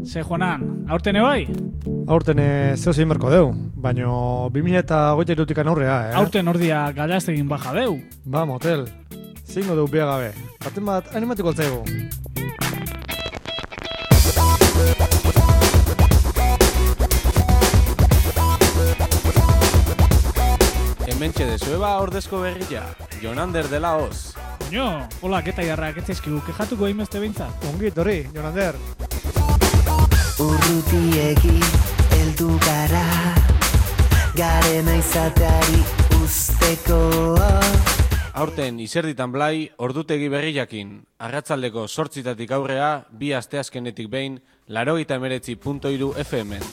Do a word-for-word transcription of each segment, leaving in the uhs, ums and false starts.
Ze Juanan, aurten ebai? Aurten zeo zein berko deu, baina bi mila hogeita hirutik aurrea, eh? Aurten ordia galaztegin baja deu. Ba, motel, zingo deu bia gabe, baten bat animatiko altzaigu. Hementxe dezueba ordezko berria, Jonander dela hoz. Koño, hola, keta jarrak etzeskigu, kejatuko hainbeste behintzat. Ongit hori, Jonander. Urrutiegi heldu gara, garena izateari usteko. Aurten izerditan blai, ordutegi berriakin. Arratzaldeko zortzitatik aurrea, bi asteazkenetik behin, laurogeita hemeretzi puntu hiru F M-en.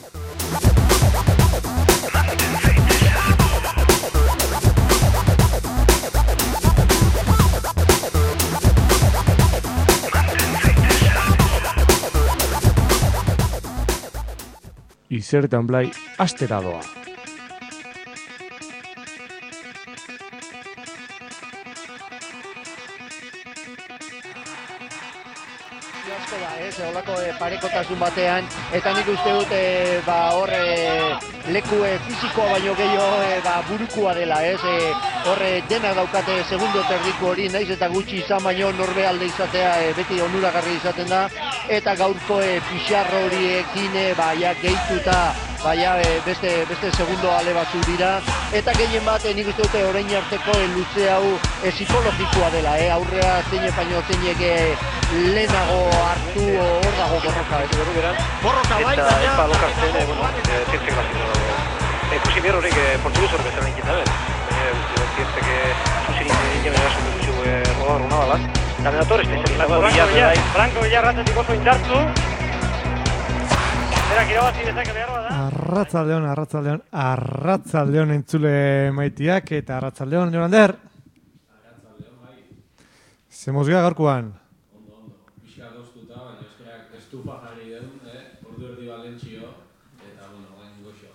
Izertan blai astera doa. Asko da, ez, holako e, parekotasun batean, eta nik uste dut e, ba, hor e, leku e, fizikoa baino gehiago e, ba, burukua dela, ez, e, hor e, denak daukate segundo terdiko hori, naiz eta gutxi izan baino norbe alde izatea e, beti onuragarri izaten da, eta gaurko e, pixarro horiekin e, ba, ja, gehituta, ba, ja, e, beste, beste segundo ale batzu dira, eta gehien bat e, nik uste dute orain arteko e, luze hau e, psikologikoa dela, e, aurrea zeine baino zeinek e, lehenago hartu hor dago borroka, ez dugu beran? Borroka bai, baina... Eta epa lokartzen, e, bueno, zientzek klasiko dago. Ekusi behar horrek portuguz hor bezala inkieta ben. Baina, zientzek zuzirik egin eraso duzu rodar una balaz. Eta menator, espezializak. Franco Villarratetik oso indartu. Berak irabazi dezake behar bada. Arratzaldeon, arratzaldeon, arratzaldeon entzule maitiak eta arratzaldeon, Jonander. Arratzaldeon, bai. Zemozgia gaurkoan. Estufa jarri den, eh? Ordu erdi Valentzio, eta, bueno, gain goxo.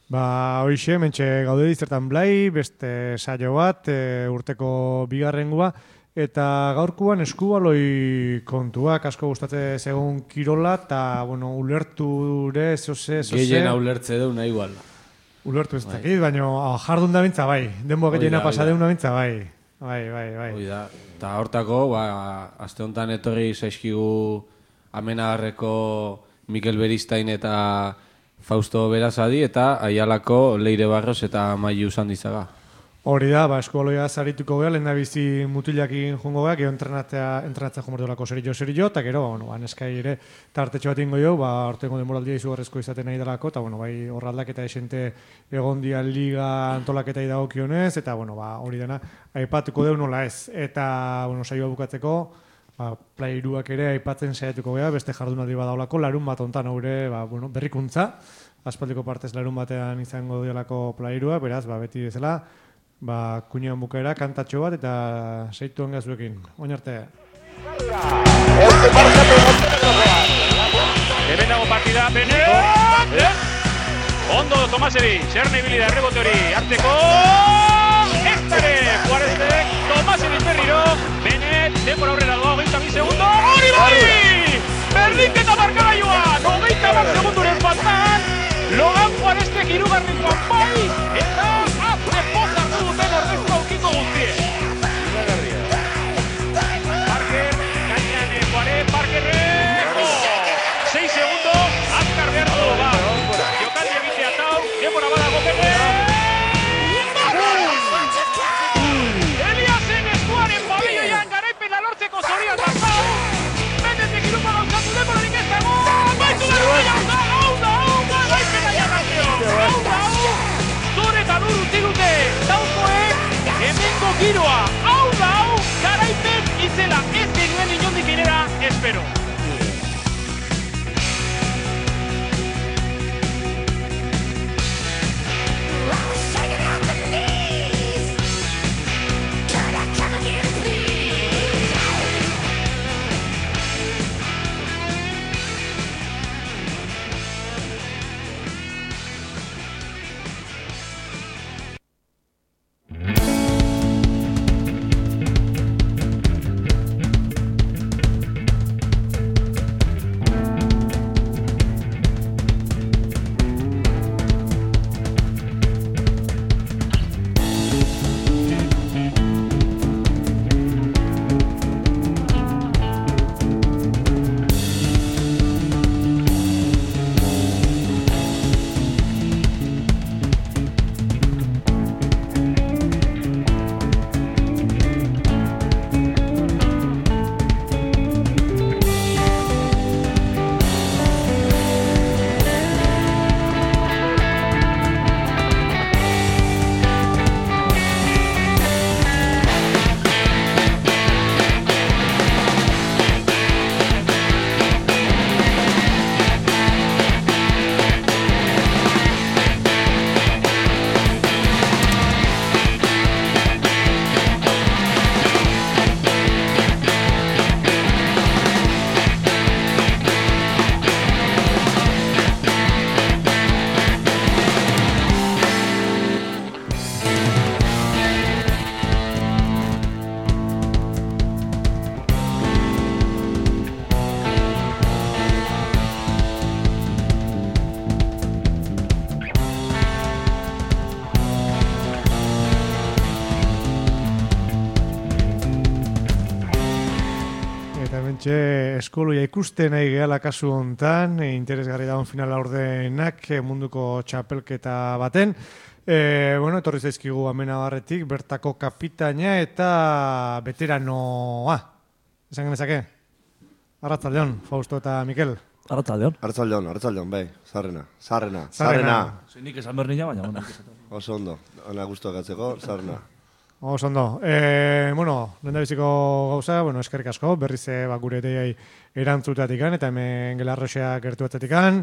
Ba, hoixe, mentxe gaude dizertan blai, beste saio bat, e, urteko bigarrengua, eta gaurkuan eskubaloi kontuak asko gustatze segun kirola, eta, bueno, ulerture, zoze, zoze... Gehiena ulertze deuna igual. Ulertu ez dakit, baina jardun da bintza bai, denboa gehiena pasa deuna bintza bai. Bai, bai, bai. Oida, eta hortako, ba, aste honetan etorri zaizkigu Amenagarreko Mikel Beristain eta Fausto Berazadi eta Aialako Leire Barros eta Mailu Sandizaga. Hori da, ba, eskualoia zarituko geha, lehen da bizi mutilakin jongo geha, gero entrenatzea, entrenatzea jomortolako zerillo zerillo, eta gero, ba, bueno, aneskai ere tartetxo bat ingo jo, ba, ortengo demoraldia izugarrezko izaten nahi delako, eta, bueno, bai, horraldak eta esente egondia liga antolaketa idagokionez, eta, bueno, ba, hori dena, aipatuko deu nola ez, eta, bueno, saioa bukatzeko, ba, plairuak ere aipatzen saiatuko geha, beste jardunaldi badaulako, larun bat ontan haure, ba, bueno, berrikuntza, aspaldiko partez larun batean izango diolako plairua, beraz, ba, beti bezala, ba, kuñean bukaera, kantatxo bat, eta seitu ongazuekin. Oin arte. Hemen dago partida, Benet! Ondo, Tomaseri, Xerne ibili da errebote hori, hartzeko... Eztare, Juarezek, Tomaseri berriro, Benet, denbora aurrera doa, hogeita bi segundo, hori bai! Berdinketa markagailuan, hogeita bat segunduren faltan, Logan Juarezek hirugarrengoan bai, eta azte poza hartu duten ordezko aukiko guztie. Parker, gainean Juarez, Parkerreko! sei segundo, azkar behar du, ba. Jokaldi egitea tau, denbora badago Benet! Eliasen eskuaren pabelloian garaipena lortzeko zorian dazau! Benetek irupa gauzatu denborarik ez dago! Baitu da, hau da, hau da, garaipena jarrazio! Hau da, hau! Zure eta dur utzi dute, taukoek hemengo giroa! Hau da, hau! Garaipen izela ez genuen inondik inera, espero! Eta hementxe eskoloia ikusten nahi gehala kasu hontan, e, interesgarri dagoen finala ordenak e, munduko txapelketa baten. E, bueno, etorri zaizkigu Amenabarretik, bertako kapitaina eta veteranoa. Esan genezake? Arratzaldeon, Fausto eta Mikel. Arratzaldeon. Arratzaldeon, arratzaldeon, bai. Zarrena, zarrena, Zarrena. zarrena. Zein nik esan behar nina, baina honak esatu. Oso ondo, ana guztuak atzeko, zarrena. Oso ondo. E, bueno, lehen biziko gauza, bueno, eskerrik asko, berriz e, ba, gure deiai erantzutatikan, eta hemen Gelarroxea gertu batzatikan,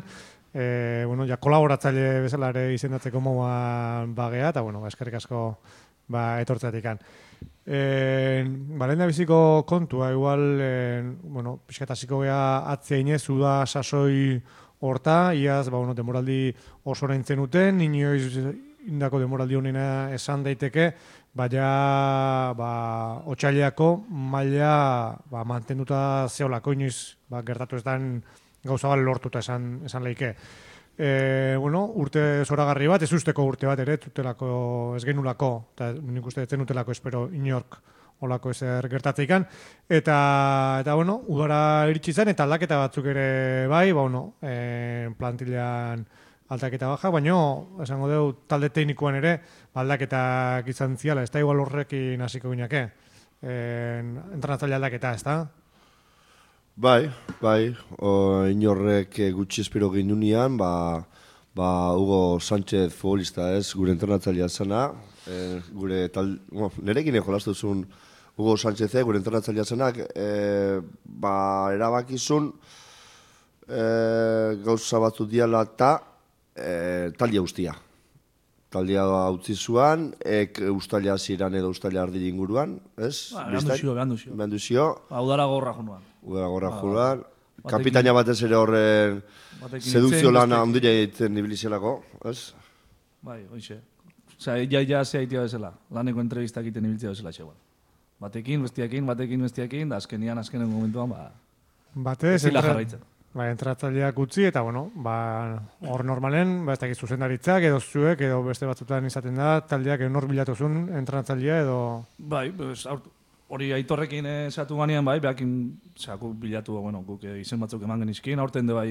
e, bueno, ja, kolaboratzaile bezala ere izendatzeko moa bagea, eta, bueno, ba, eskerrik asko ba, etortzatikan. E, ba, lehen biziko kontua, igual, e, bueno, pixkatasiko gea atzeinez, uda sasoi horta, iaz, ba, bueno, demoraldi oso oraintzen uten, inoiz indako demoraldi honena esan daiteke, baina ba, otxaileako maila ba, mantenduta zeolako inoiz ba, gertatu ez den gauza bat lortuta esan, esan leike. E, bueno, urte zoragarri bat, ez usteko urte bat ere, tutelako, ez genulako, eta nik uste etzen utelako espero inork olako ezer gertatzeikan, eta, eta bueno, udara iritsi zen, eta aldaketa batzuk ere bai, ba, bueno, e, plantilean aldaketa baja, baina, esango dugu, talde teknikoan ere, aldaketak izan ziala, ez da igual horrekin hasiko gineke, entrenatzaile aldaketa, ez da? Bai, bai, o, inorrek gutxi espero gindunean, ba, ba, Hugo Sánchez futbolista ez, gure entrenatzailea zena, e, gure tal, bueno, nerekin jolastu zuen Hugo Sánchez, gure entrenatzailea zenak, e, ba, erabakizun, e, gauza batzu diala eta e, taldia guztia. Taldia utzi zuan, ek ustalia ziran edo ustalia ardil inguruan, ez? Ba, behan duzio, behan duzio. Behan duzio. Ba, udara gorra jonuan. Udara gorra jonuan. Kapitaina batez ere horren sedukzio lana ondila egiten ibilizelako, ez? Bai, hoxe. Osea, ja, ja, zea itia bezala. Laneko entrevistak egiten ibiltzea bezala txegoan. Batekin, bestiakin, batekin, bestiakin, da azkenian, azkenen momentuan, ba... Batez, zila jarraitzen. Ba, entratzaileak utzi, eta, bueno, ba, hor normalen, ba, ez dakit zuzendaritzak, edo zuek, edo beste batzutan izaten da, taldeak enor bilatuzun entratzailea, edo... Bai, pues, hori aitorrekin esatu ganean, bai, behakin, zeako bilatu, bueno, guk izen batzuk eman genizkin, aurten de bai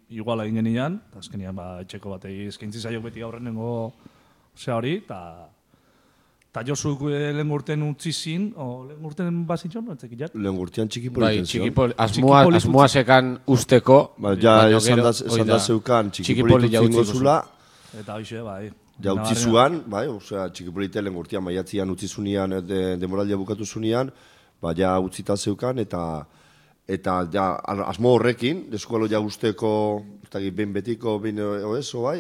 iguala egin genian, eta azkenian, ba, etxeko batei eskaintzi zaiok beti aurrenengo, zea hori, eta... Eta Josuk lehen urten utzi zin, o lehen urten bazitxon, no? Lehen urtean txikipoliten zion. Bai, asmoa, asmoa sekan usteko. Ba, ja, esan da, esan da zeukan txikipolitu zingo zula. Eta hoxe, bai. Ja, utzi zuan, bai, osea, txikipolite lehen urtean, maiatzian utzi zunean, de, demoraldia bukatu zunean, ba, ja, utzita zeukan, eta, eta, ja, asmo horrekin, deskualo ja usteko, ez da, behin betiko, behin oezo, bai,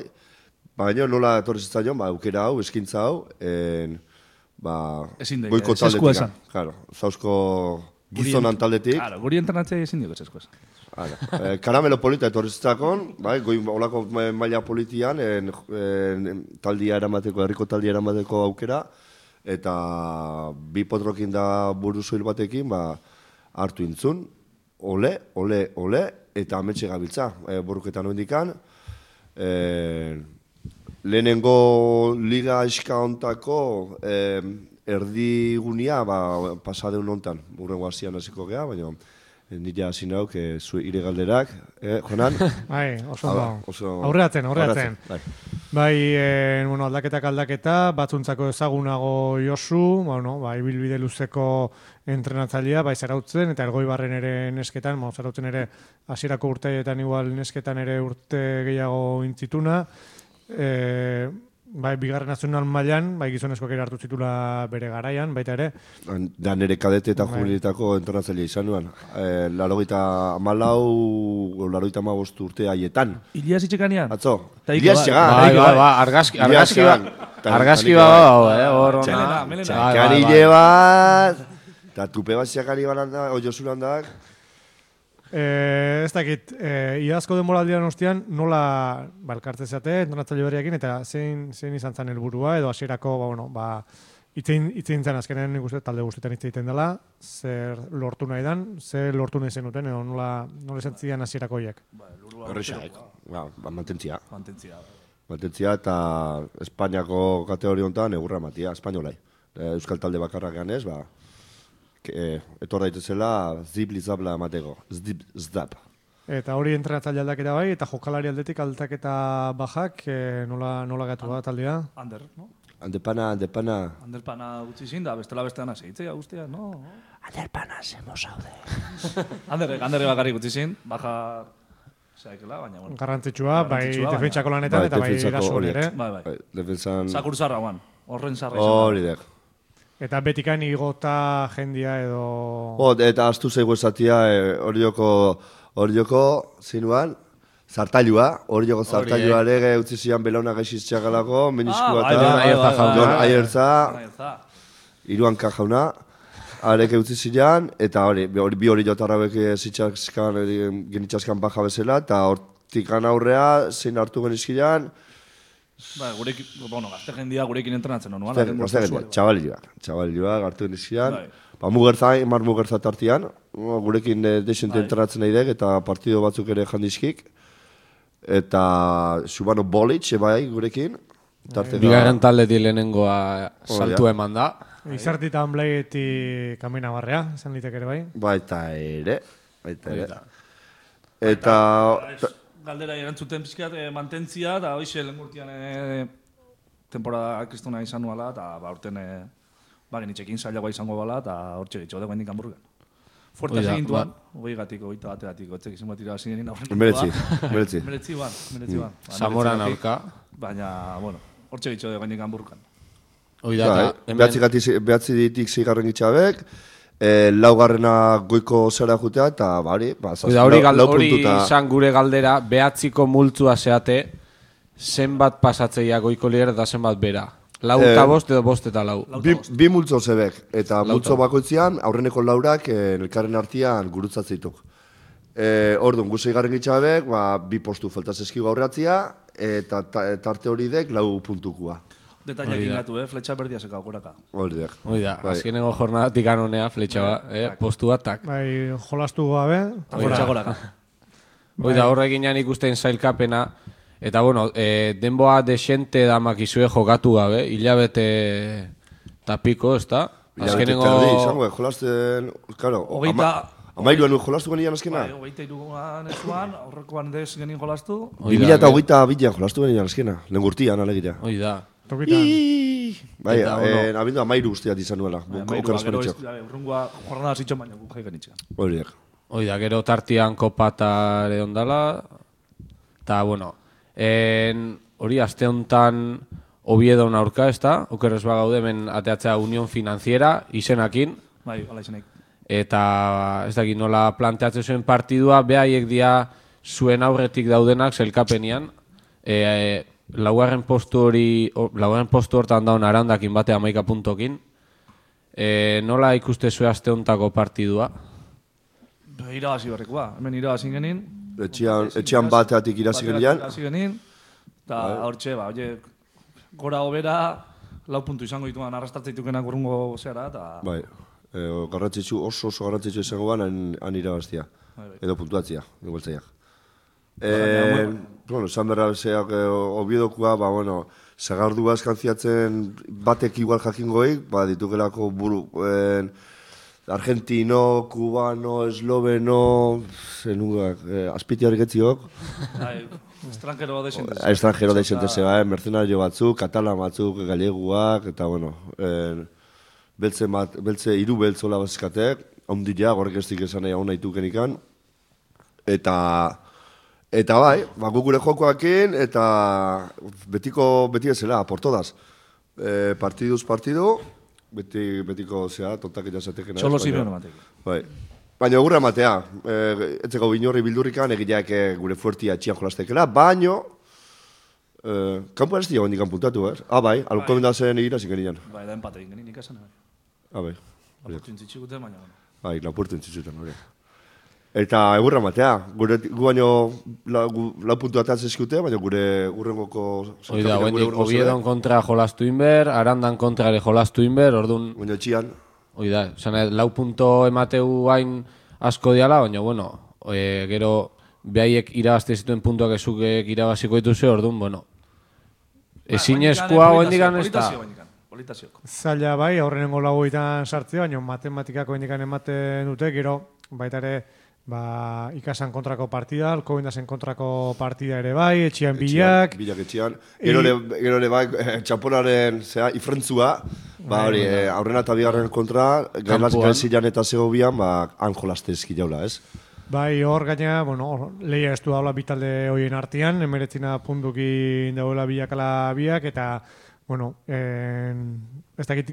baina nola etorri zitzaion, ba, aukera hau, eskintza hau, en, ba, goiko taldetik. Claro, zauzko gizonan taldetik. Claro, guri entrenatzea ezin dugu esko esan. Eh, karamelo polita etorri zitzakon, bai, goi olako maila politian, en, en, taldia eramateko, herriko taldia eramateko aukera, eta bi potrokin da buruzuil batekin, ba, hartu intzun, ole, ole, ole, eta ametxe gabiltza, e, borruketan oindikan, eh, lehenengo liga iska ontako eh, erdigunia ba, pasadeun ontan, urrengo hasian hasiko gea, baina nire hasi nauk e, zu ire galderak, eh, Jonan? Bai, oso ondo. Aurreatzen, aurreatzen. Bai, bai eh, bueno, aldaketak aldaketa, batzuntzako ezagunago Josu, bueno, bai, ibilbide luzeko entrenatzailea, bai, Zarautzen, eta Elgoibarren ere nesketan, bai, Zarautzen ere hasierako urteetan igual nesketan ere urte gehiago intzituna, E, bai, bigarren nazional mailan, bai, gizonezkoak ere hartu zitula bere garaian, baita ere. Da nire kadete eta jubiletako entrenatzailea izan nuen. E, larogeita amalau, larogeita amabost urte haietan. Ilias itxekanean? Atzo. Ilias txegan. Bai, bai, bai, argazki, argazki bat. Argazki bat, eh, hor hona. Txakanile bat, eta tupe bat txakani balanda, oiosun handak. Eh, ez dakit, eh, iazko demoraldian ostean nola balkartze zate, entrenatzaile berriakin, eta zein, zein izan zen helburua edo hasierako, ba, bueno, ba, itzein zen azkenen nik uste talde guztietan hitz egiten dela, zer lortu nahi dan, zer lortu nahi zenuten, edo nola, nola esan zidan hasierako hiek. Horrexak, ba, mantentzia. Mantentzia. Mantentzia eta Espainiako kategoria honetan egurra matia, espainolai. Euskal talde bakarrak ganez, ba, e, etor daitezela zip lizabla emateko. Zdip, zdap. Eta hori entrenatzaile aldaketa bai, eta jokalari aldetik aldaketa bajak, e, nola, nola gatu da taldea? Ander, no? Andepana, andepana. Handelpana utzi zin da, bestela bestean segitzea guztia, no? Handelpana zemo zaude. Ander, Ander bakarrik utzi zin, baja zaikela, baina bueno. Garrantzitsua, bai Garrantzitsua, defentsako baina- lanetan eta bai defentsako erasoan horiek. ere. Bai, bai. Bai, defensan... Zakur zarra guan, horren zarra izan. Hori dek. Eta betikan igota jendia edo... Oh, eta astu zaigu esatia, eh, hori joko, hori joko, zinuan, zartailua, hori joko zartailua ere utzi zian belaunak gaixiztxagalako, meniskua bai, eta bai, bai, bai, bai. Jon Aiertza, Aiertza. iruan kajauna, arek utzi zian, eta hori, bi hori, bi hori jotarrabek zitxaskan, genitxaskan baja bezala, eta hortikan aurrea, zein hartu genizkian, Bai, gurekin, bueno, gazte jendia gurekin entrenatzen honuan. gazte gendia, txabalioak, txabalioak hartu genizkian, Bai. ba, mugertza, mar mugertza tartian, gurekin eh, desente Bai. entrenatzen nahi dek, eta partido batzuk ere jandizkik, eta Subano Bolic, bai, gurekin, tarte da... Bigarren taldetik lehenengoa saltu eman da. Izartita Blaieti kamina barrea, esan litek ere bai. Baita ere, baita ere. Baita. Eta... Eta, galdera erantzuten pizkat eh, mantentzia, eta hoxe lehen urtean eh, temporada kristuna izan nuala, eta ba, urten eh, ba, genitxekin zailagoa izango bala, eta hortxe gitxo dagoen dinkan burgan. Fuerte Hoi da, segintuan, hogei gatiko, hogeita bateratiko, etzek izan bat irabazi genin aurren. Meretzi, meretzi. Meretzi ban, meretzi ban. Ba, Zamoran meretzi aurka. gatik, Baina, bueno, hortxe gitxo dagoen dinkan burgan. Hoi da, Bai, eta behatzi, hemen... gati, behatzi ditik zigarren gitxabek, e, laugarrena goiko zera jutea, eta bari, ba, Hoi da, hori, lau- gal, lau hori puntuta- izan gure galdera, behatziko multzua zeate, zenbat pasatzeia goiko lider eta zenbat bera. Lau Eh, eta bost edo bost eta lau. Bi, bi multzo zebek, eta Lau multzo eta- bakoitzean, aurreneko laurak eh, elkarren artean gurutzatzeituk. E, Orduan, guzei garren gitxabek, ba, bi postu faltaz eskigu aurratzia, eta ta, tarte hori dek lau puntukua. Detailak Hori da. ingatu, eh? Fletxa berdia zeka goraka. Hori dek. Hoi da, Bai. azkenengo jornadatik anonea, fletxa ba, eh, postu batak. Bai, jolastu gabe. Fletxa goraka. Hoi da, horrekin jan ikusten zailkapena, eta bueno, e, denboa desente damakizue jokatu gabe, hilabete tapiko, ez da? Hilabete terdi, izango, eh, jolasten, claro, Hogeita... amairuan jolastu genian azkena? Bai, hogeita iruan ezuan, aurrekoan dez genin jolastu. Hoi Bi mila da, eta hogeita bilan jolastu genian azkena, lehen gurtian, alegira. Hoi da. Tokitan. Bai, Eta, eh, bueno. abindu amairu guztiat izan nuela, Bai, okeraz gero paritxok. ez- urrungoa jornada zitxon baina guk jai genitxean. Hori dek. Hoi da, gero tartian kopatare ondala, eta, bueno, en, hori aste honetan Oviedon aurka, ez da? Okerrez bagaude, hemen ateatzea Unión Financiera, izenakin, Bai, hala izanik. eta ez dakit nola planteatzen zuen partidua, behaiek dia zuen aurretik daudenak zelkapenian, e, e, laugarren postu hori, o, laugarren postu hortan daun arandakin bate hamaika puntokin, e, nola ikuste zuen aste hontako partidua? Ba, irabazi horrekoa, hemen irabazi genin. Etxean, etxean bateatik irazi Bateatik genian. Irabazi genin, eta hortxe, ba, oie, gora hobera, lau puntu izango dituan arrastatzeitukenak urrungo zera, eta... Bai, e, garrantzitsu, oso oso garrantzitsu izango ban, han, han irabaztia. Bai, bai. Edo puntuatzia, igualtzaiak. E, bueno, esan berra zeak, e, obiedokua, ba, bueno, zagardua eskantziatzen batek igual jakingoik, ba, ditukelako buru, en, argentino, cubano, esloveno, zenugak, eh, azpiti horreketziok, Bai, estrangero desentez. estrangero desente zeba, eh, mercenario batzuk, katalan batzuk, galeguak, eta bueno, eh, beltze, mat, beltze iru beltzola bazkatek, ondila, gorrek ez dik esan nahi hau nahi tukenikan, eta, eta bai, ba, guk gure jokoakin, eta betiko, beti ezela, por todas, eh, partiduz partidu, beti, betiko, zera, tontak irazatekena. Txolo Simeone ematek. Bai. Baina gurra ematea, e, etzeko binorri bildurrikan egileak e, gure fuertia txian jolastekela, baino, e, kanpo ez dira hendikan puntatu, eh? Ah, bai, alko bendazen egira zikerian. Bai, da empate egin genin ikasen. Bai. Ah, bai. Lapurtu intzitxigute, baina... bueno. Bai, lapurtu entzitzutan, hori. Eta egurra ematea, gure, gu baino la, gu, lau puntu atatzen eskute, baina gure urrengoko... Hoi da, Oviedon kontra jolastu inber, Arandan kontra ere jolastu inber, orduan... Baina txian, Hoi da, zan, lau punto emateu hain asko diala, baina, bueno, e, gero behaiek irabazte zituen puntuak ezukek irabaziko dituzue, orduan, bueno, ezin eskua hoendikan ez da. politazioko. Zaila bai, aurrenengo lauetan sartzea, baina matematikako indikan ematen dute, gero baita ere ba, ikasan kontrako partida, Alcobendasen kontrako partida ere bai, etxian bilak. Bilak etxian. Gero ere bai, txaponaren zera, ifrentzua, ba, hori, aurrena eta bigarren kontra, gailazzilan eta zegobian, ba, han jolaste ezki jaula, ez? Bai, hor gaina, bueno, lehia ez du daula bitalde hoien artean, emeretzina puntukin dagoela bilakala biak, eta, bueno, en, ez dakit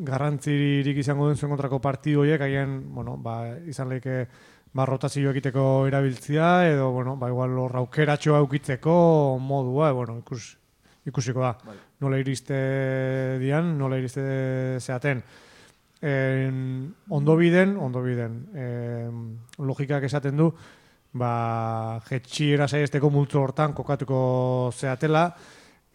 garrantzirik izango duen zuen kontrako partidu horiek, agian, bueno, ba, izan lehike, ba, rotazio egiteko erabiltzia, edo, bueno, ba, igual hor aukeratxoa aukitzeko modua, bueno, ikus, ikusiko da. Bai. Nola iriste dian, nola iriste zeaten. En, ondo biden, ondo biden. En, logikak esaten du, ba, jetxiera saiesteko multzo hortan kokatuko zeatela,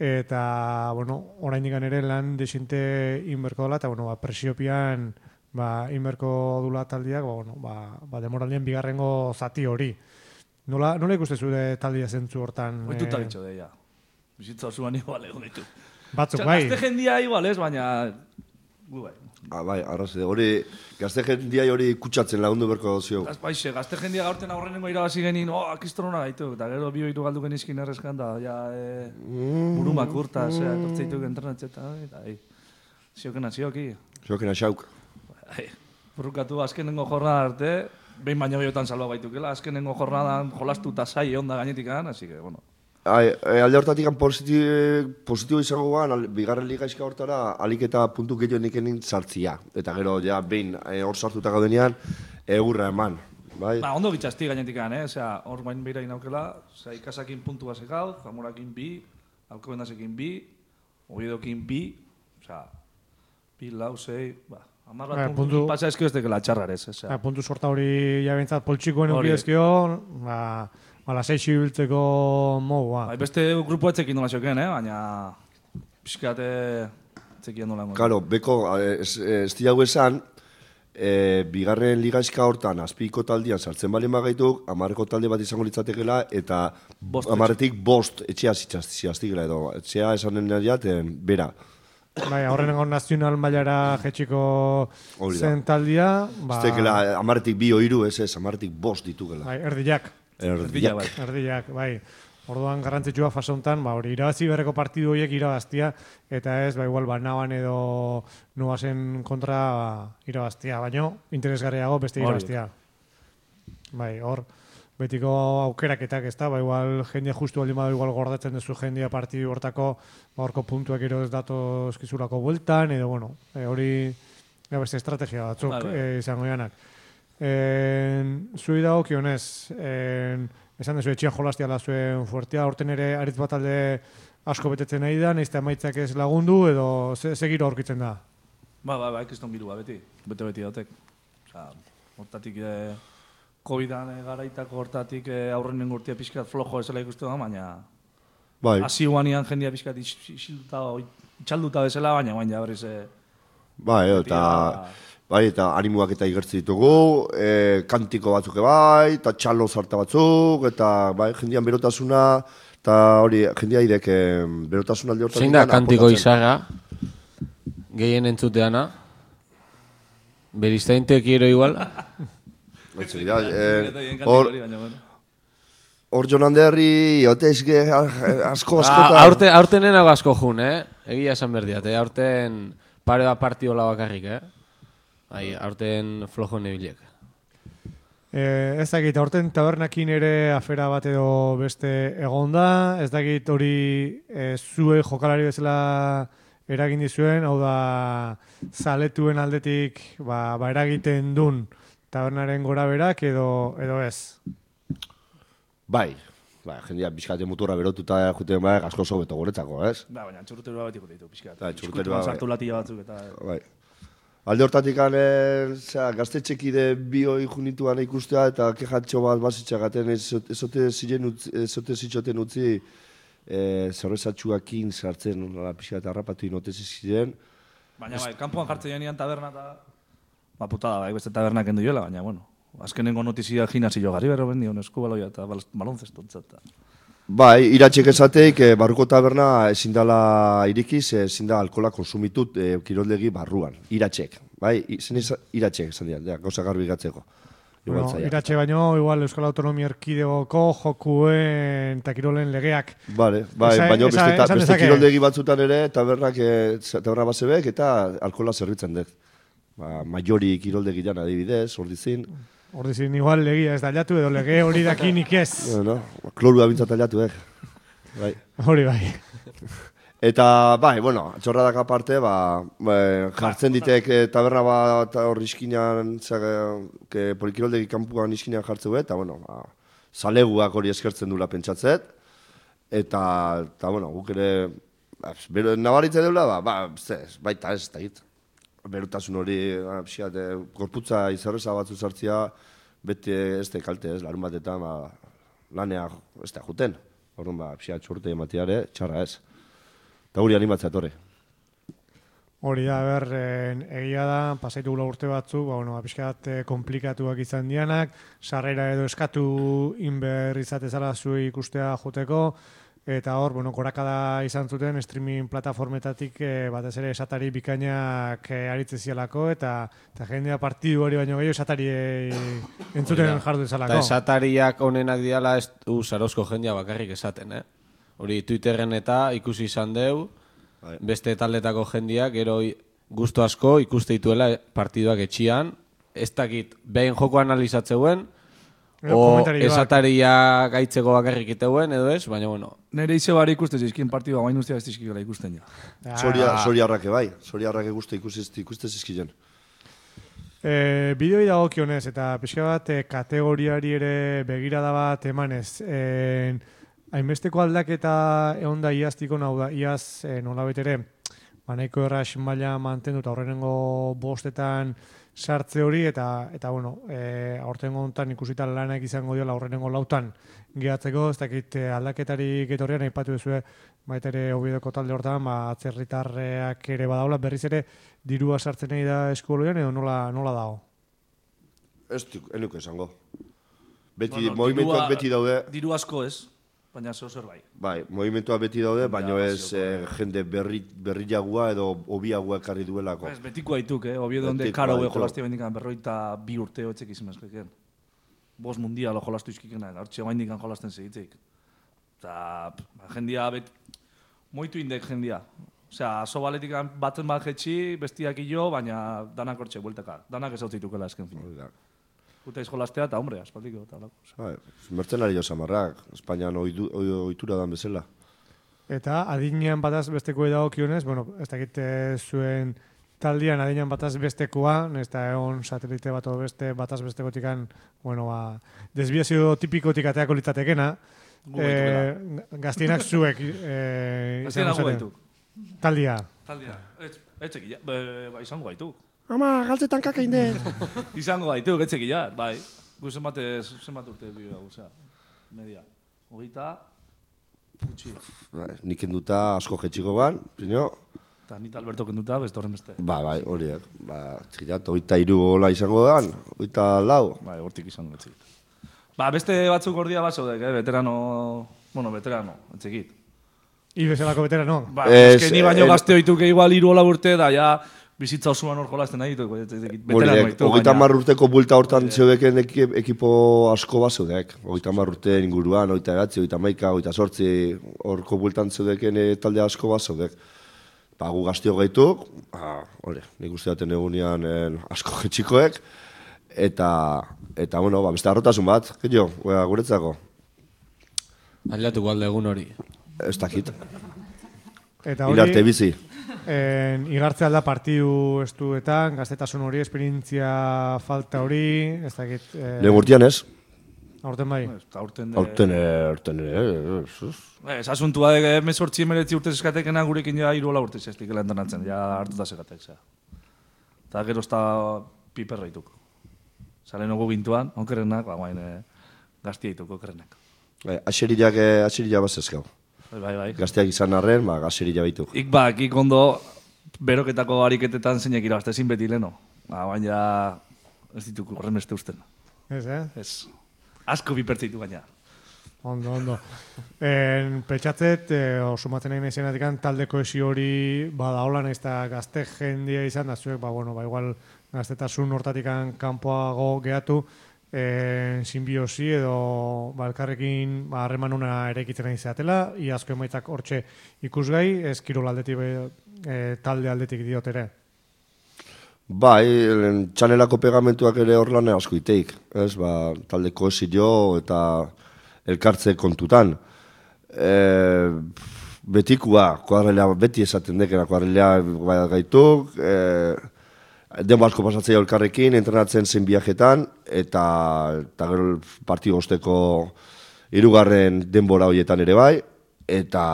eta, bueno, oraindik ere lan desinte inberko dela, eta, bueno, ba, presiopian, ba, inberko dula taldiak, ba, bueno, ba, ba, demoraldien bigarrengo zati hori. Nola, nola ikuste zure taldia zentzu hortan? Oituta eh... bitxo, deia. Bizitza osuan igual egon ditu. Batzuk, bai. Gazte jendia igual ez, baina... Gu bai. Ah, bai, arraze, hori, gazte jendia hori kutsatzen lagundu berko zio. Baixe, gazte jendia gaurten aurrenengo irabazi genin, oh, akistrona gaitu, eta gero bi oitu galdu genizkin errezkan da, ja, e, burumak urta, mm. zera, tortzeituk entrenatzeta, eta, e, ziokena, zioki. Ziokena, xauk. Burrukatu azkenengo jornada arte, behin baino gehiotan salba baitukela, azkenengo jornadan jolastu eta zai onda gainetik an, así que, bueno. Ai, alde hortatik positibo, positibo izango guan, bigarren liga izka hortara, alik eta puntu gehiago nikenin sartzia. Eta gero, ja, behin, hor sartuta gaudenean, egurra eman. Bai? Ba, ondo bitxazti gainetik an, eh? Osea, hor bain beira inaukela, osea, ikasakin puntu basek hau, Zamorakin bi, Alcobendasekin bi, Oviedokin bi, osea, bi, lau, sei, ba, amar bat eh, puntu, pasa eskio ez dekela txarrarez, osea. Eh, puntu sorta hori jabentzat poltsikoen eukidezkio, ba... Bala, seixi biltzeko mogua. Bai, beste grupo etzekin nola xoken, eh? Baina... Piskate... Etzekian nola. Karo, beko, ez, ez diago esan, e, bigarren ligaizka hortan, azpiko taldian sartzen bali magaituk, amarreko talde bat izango litzatekela, eta amarretik bost etxea zitaztigela edo. Etxea esanen nadiaten, bera. Bai, horrenengo nazional mailara jetxiko zen taldia. Ba... Ez tekela, amarretik bi oiru, ez ez, amarretik bost ditugela. Bai, erdiak. Erdiak. Bai. Erdiak, bai. Orduan garrantzitsua fase honetan, ba, hori irabazi berreko partidu horiek irabaztia, eta ez, ba, igual, ba, naban edo nuazen kontra ba, irabaztia, baino, interesgarriago beste irabaztia. Bai, hor, betiko aukeraketak ez da, ba, igual, jendia justu baldin badu, igual, gordatzen duzu jendia partidu hortako, ba, horko puntuak ero ez dato eskizurako bueltan, edo, bueno, e, hori, ja, beste estrategia batzuk vale. e, izango janak. Zui dago kionez, esan dezu etxian jolastia da zuen fuertea, horten ere aritz bat alde asko betetzen nahi da, nahizte amaitzak ez lagundu, edo segiro aurkitzen da? Ba, ba, ba, ekiston birua beti, bete-beti dautek. Osa, hortatik, eh, COVID-an eh, garaitako hortatik eh, aurrenen gurtia pixkat flojo ezela ikustu da, baina... Bai. Asi guanian jendia pixkat itxalduta bezala, baina baina berriz... Eh, bai, eta... Bai, eta animuak eta igertzi ditugu, e, kantiko batzuk bai, eta txalo zarta batzuk, eta bai, jendian berotasuna, eta hori, jendia idek e, berotasuna alde hortan... Zein da kantiko izarra, gehien entzuteana? Beriztaintek ero igual? Baitzu, da, hor... Hor Jonan Derri, otezke asko askotan... Aurte, aurten enago asko jun, eh? Egia esan berdiat, eh? Aurten pare bat partiola bakarrik, eh? Ai, aurten flojo nebilek. Eh, ez dakit, aurten tabernakin ere afera bat edo beste egonda, ez dakit hori e, zue jokalari bezala eragin dizuen, hau da zaletuen aldetik ba, ba eragiten dun tabernaren gora berak edo, edo ez? Bai, ba, jendia pixkate muturra berotuta juten bai, asko sobeto guretzako, ez? Ba, baina txurruterua beti gure ditu pixkate. Ba, txurruterua bai. Sartu latilla batzuk eta... Bai. Alde hortatik gaztetxekide bi hori junituan ikustea eta kejatxo bat bazitxagaten ezote zitxoten utzi e, zerrezatxuakin sartzen pixka eta harrapatu inotezi ziren. Baina bai, kanpoan jartzen jenian taberna eta ba putada bai, beste tabernak endu joela, baina bueno, azkenengo notizia gimnasio gari berro bendion eskubaloia eta balonzestontzat. Bai, iratxek esateik, e, barruko taberna ezin dala irikiz, ezin da alkola konsumitut e, kiroldegi barruan. Iratxek, bai, zen iratxek esan dira, gauza garbi gatzeko. Bueno, iratxe baino, igual Euskal Autonomia Erkidegoko jokuen eta kirolen legeak. Vale, bai, esa, baino esa, beste, esa, beste kiroldegi batzutan ere, tabernak, e, taberna basebek eta alkola zerbitzen dut. Ba, maiori kiroldegi jan adibidez, ordizin. Ordizin, igual legia ez da aldatu edo lege hori dakinik ez. Bueno, klorua bintzat aldatu, eh? Bai. Hori bai. Eta, bai, bueno, txorradak aparte, ba, ba jartzen ditek e, taberna bat hor iskinan, que polikiroldegi kanpuan iskinan jartzeu, eta, bueno, ba, zaleguak hori eskertzen dula pentsatzet, eta, eta bueno, guk ere, ba, nabaritze deula, ba, ba, ez, baita ez, eta hit. Berutasun hori, pixat, e, gorputza izarreza batzu sartzia, beti ez da kalte ez, larun batetan, ba, lanea ez da juten. Horren, ba, pixat, txorte ematiare, txarra ez. Eta hori animatzea etorri. Hori da, ber, egia da, pasaitu gula urte batzu, ba, bueno, pixkat komplikatuak izan dianak, sarrera edo eskatu inber izatezala zui ikustea joteko, eta hor, bueno, korakada izan zuten streaming plataformetatik e, batez ere esatari bikainak e, aritze zialako, eta, eta jendea partidu hori baino gehiago esatari e, entzuten jardu ezalako. Eta esatariak onenak diala ez du Sarozko jendea bakarrik esaten, eh? Hori Twitterren eta ikusi izan deu, beste taldetako jendeak, gero gustu asko ikuste dituela partiduak etxian, ez dakit behin joko analizatzeuen, o esataria gaitzeko bakarrik iteuen, edo ez, baina bueno. Nere ize bari ikuste zizkin partidua, baina ustea ez dizkikola ikusten ja. Soriarrake bai, soriarrake guzti ikuste zizkilen. E, bideoi dago kionez, eta pixka bat e, kategoriari ere begirada bat emanez. E, hainbesteko aldaketa egon da iaztiko, nau da, iaz e, nolabait ere, banaiko erras maila mantendu eta horrenengo bostetan sartze hori, eta, eta bueno, e, aurtengo honetan ikusita lanak izango diola aurrenengo lautan gehatzeko, ez dakit aldaketari getorrean aipatu duzue, baita ere Oviedoko talde hortan, ba, atzerritarreak ere badaula, berriz ere dirua sartzen nahi da eskoloian, edo nola, nola dago? Ez enuke esango. Beti, no, no, movimentuak beti daude. Diru asko ez, baina zeu zer bai. Bai, movimentuak beti daude, baina ez eh, jende berri, berriagua edo obiagua ekarri duelako. Ez, betiko haituk, eh? Obiedo onde karo ego jolaztia bendikan berroita bi urte hoetzek izan ezkeken. Bos mundial jolastu izkikena, hortxe bendikan jolasten segitzeik. Eta jendia, bet, moitu indek jendia. Osea, aso baletik batzen bat jetxi, bestiak ilo, baina danak hortxe, buelteka. Danak ez hau zitukela esken fin. Guta izkolastea eta hombre, aspaldiko. Mertzenari jo samarrak, Espainian ohitura dan bezala. Eta adinean bataz besteko edago kionez, bueno, ez dakite zuen taldian adinean bataz bestekoa, ez da egon satelite bat o beste, bataz bestekotikan, bueno, ba, desbiazio tipikotik ateako litzatekena, e, gaztienak zuek e, gaztienak gu gaituk. Taldia. Taldia. Etxekila, ba, izango gaituk. Ama, galtzetan kaka inde. Izango gaitu, getxekila, bai. Gu zenbat, zenbat urte bi da, osea, media. Hogeita, putxi. Nik enduta asko jetxiko ban, pino. Eta nita Alberto kenduta, beste horren beste. Ba, bai, horiek. Ba, txirat, hogeita iru gola izango dan, hogeita lau. Bai, hortik izango etxekit. Ba, beste batzuk gordia bat zaudek, eh? Veterano, bueno, veterano, etxekit. Ibezelako veterano. Ba, es, es que ni baino gazte hoituke igual iru hola urte da, ja, bizitza osoan hor jolazten nahi ditu, veterano ditu. Hogeita hamar urteko buelta hortan zeudeken ekipo asko bat zeudek. Hogeita hamar urte inguruan, hogeita egatzi, hogeita maika, hogeita sortzi, horko bueltan zeudeken talde asko bat zeudek. Ba, gu gaztio gaituk, hori, nik uste daten egunean asko jetxikoek, eta, eta, bueno, ba, beste arrotasun bat, gehiago, guretzako. Aldatuko alde egun hori. Ez dakit. Eta hori, Ilarte bizi. En, igartzea da partidu estuetan, gaztetasun hori, esperientzia falta hori, ez dakit... Eh, Lehen urtean ez? Aurten bai? Aurten... Aurten, aurten, ez. Ez asuntua de mesortzi emeretzi urte zeskatekena gurekin ja iruola urte zestik elantonatzen, ja hartuta zegatek, zera. Eta gero ezta piperra ituko. Zale nogu bintuan, onkerrenak, ba, guain gaztia ituko, onkerrenak. Aseriak, aseriak bat zezkau. Bai, bai. Gazteak izan arren, ba, gaserila baitu. Ik bak, ik ondo beroketako ariketetan zeinek irabazte ezin beti leno. Ba, baina ez dituko horren beste usten. Ez, eh? Ez. Asko bipertze ditu baina. Ondo, ondo. En, petxatzet, e, oso maten egin izenatik talde kohesio hori bada hola nahiz eta gazte jendia izan da zuek, ba, bueno, ba, igual gaztetasun hortatik kanpoago gehatu, en, simbiosi edo ba, elkarrekin ba, harreman una eraikitzen nahi zeatela, iazko emaitzak hortxe ikusgai, ez kirol aldetik, e, talde aldetik diot ere. Bai, txanelako pegamentuak ere hor lan asko iteik, ez, ba, talde kohesio eta elkartze kontutan. E, betikua, kuadrelea, beti esaten dekera, kuadrelea gaituk, e, denbo asko pasatzea elkarrekin, entrenatzen zen viajetan, eta, eta gero partio osteko hirugarren denbora horietan ere bai, eta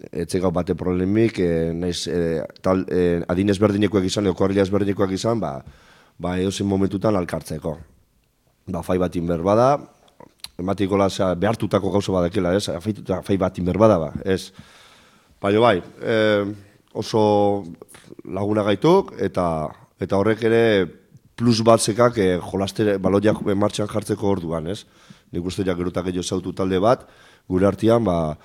etzen gau bate problemik, e, naiz, e, tal, e, adin ezberdinekoak izan, edo kuadrilla ezberdinekoak izan, ba, ba edozein momentutan alkartzeko. Ba, fai bat inber bada, ematikola behartutako gauza badakela, ez? Afaituta fai bat inber bada, ba, ez? Baina bai, e, oso laguna gaituk, eta eta horrek ere plus bat zekak e, jolastere, baloiak martxan jartzeko orduan, ez? Nik uste jak gerotak gehiago zautu talde bat, gure artean, ba,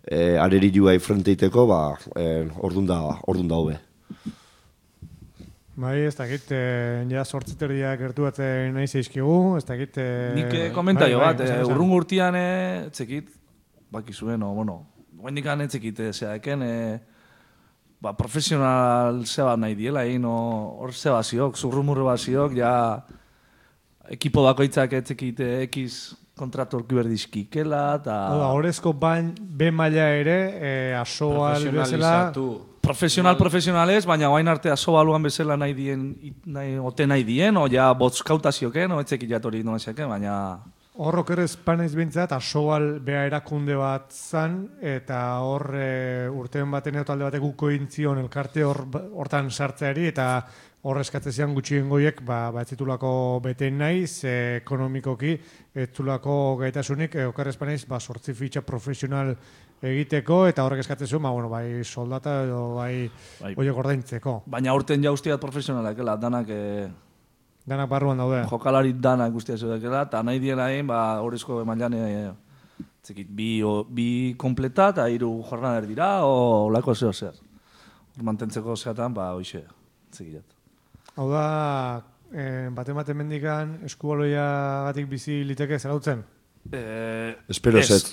e, areri juai frenteiteko, ba, e, ordun da, ordun da hobe. Bai, ez dakit, e, ja sortziterdiak gertuatzen nahi zeizkigu, ez dakit... E, Nik komentaio bai, bat, bai, e, urrun gurtian etzekit, bakizuen, o, bueno, guendikan etzekit, zeaken, e, ba, profesional zeba nahi diela, egin, hor zeba ziok, zurrumurre bat ziok, ja, ekipo bakoitzak etzekit ekiz kontratu orki berdizkikela, eta... Hora, horrezko bain, be maila ere, e, asoal bezala... Profesional, profesionalez, baina guain arte asobaluan bezala nahi dien, nahi, ote nahi dien, o ja botzkautazioken, o etzekit jatori nola xeken, baina... Horrok ere espanaiz bintzat, asoal beha erakunde bat zan, eta hor e, urtean baten edo talde batek guko intzion elkarte hor, hortan sartzeari, eta hor eskatzezian gutxien goiek, ba, ba ez zitulako beten naiz, e, ekonomikoki, ez zitulako gaitasunik, e, okar espanaiz, ba, sortzi fitxa profesional egiteko, eta horrek eskatzezio, ba, bueno, bai soldata edo bai, bai. Oiek ordaintzeko. Baina urten ja ustiat profesionalak, ela, danak... E... Danak barruan daude. Jokalari danak guztia zudekela, eta nahi diela egin, ba, horrezko emailan e, zekit, bi, o, bi kompleta eta hiru jornader dira, o lako zeo zehaz. Mantentzeko zeatan, ba, hoxe, zekilat. Hau da, eh, bate-bate mendikan eskubaloia gatik bizi liteke zarautzen? Eh, Espero zet.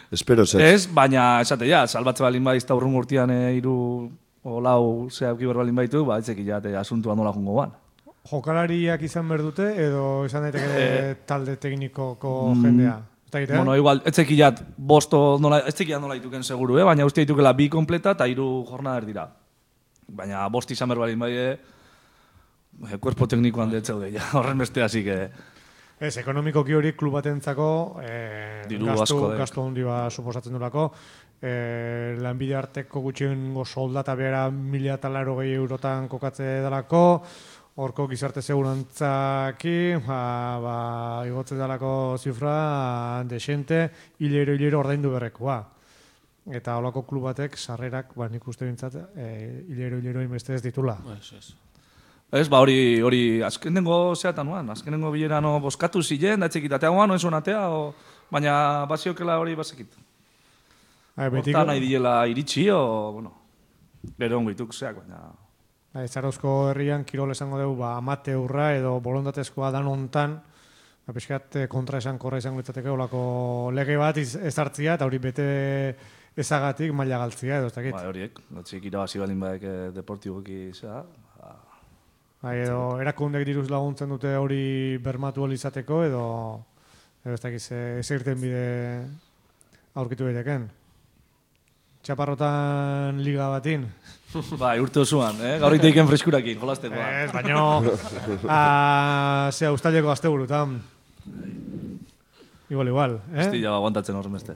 Espero zet. Ez, baina esate ja, salbatze balin badiz eta urrun gurtian e, hiru o lau zehabki berbalin baitu, ba, etzekilat e, asuntua nola jungo ban. Jokalariak izan behar dute edo izan daiteke eh, talde teknikoko jendea? Mm, bueno, igual, etzekilat bosto nola, etzekilat nola dituken seguru, eh? Baina uste ditukela bi kompleta eta hiru jornader dira. Baina bost izan behar balin bai, eh, kuerpo teknikoan detzeude, ja, horren beste hasi que... Ez, ekonomikoki hori klub batentzako eh, gastu, gastu handi bat suposatzen durako. Eh, lanbide arteko gutxiengo soldata behera mila eta laro gehi eurotan kokatze dalako. Horko gizarte segurantzaki, ba, ba, igotze dalako zifra desente, hilero hilero ordaindu berrekoa. Eta holako klub batek sarrerak, ba, nik uste bintzat, e, hilero hilero inbeste ez ditula. Ez, ez. Ez, ba, hori, hori, azkenengo zeatan nuan, azkenengo bilerano boskatu zilen, da etxekitatea guan, oen zonatea, o, baina baziokela hori bazekit. Horta nahi diela iritsi, o, bueno, gero ongo ituk zeak, baina... Zarozko herrian kirol esango dugu ba, amateurra edo bolondatezkoa dan hontan, ba, pixkat kontra esan korra izango ditzateke olako lege bat ezartzia eta hori bete ezagatik maila galtzia edo ez dakit. Ba, horiek, notzik irabazi balin baek deportiboki zea. Ba, ba, edo erakundek diruz laguntzen dute hori bermatu izateko edo, edo ez dakit ez irten bide aurkitu daiteken. Txaparrotan liga batin. Bai, urte osoan, eh? Gaur iteiken freskurakin, jolazteko. Ez, baino, zea, ustaleko azte burutan. Igual, igual, eh? Estila aguantatzen horren beste.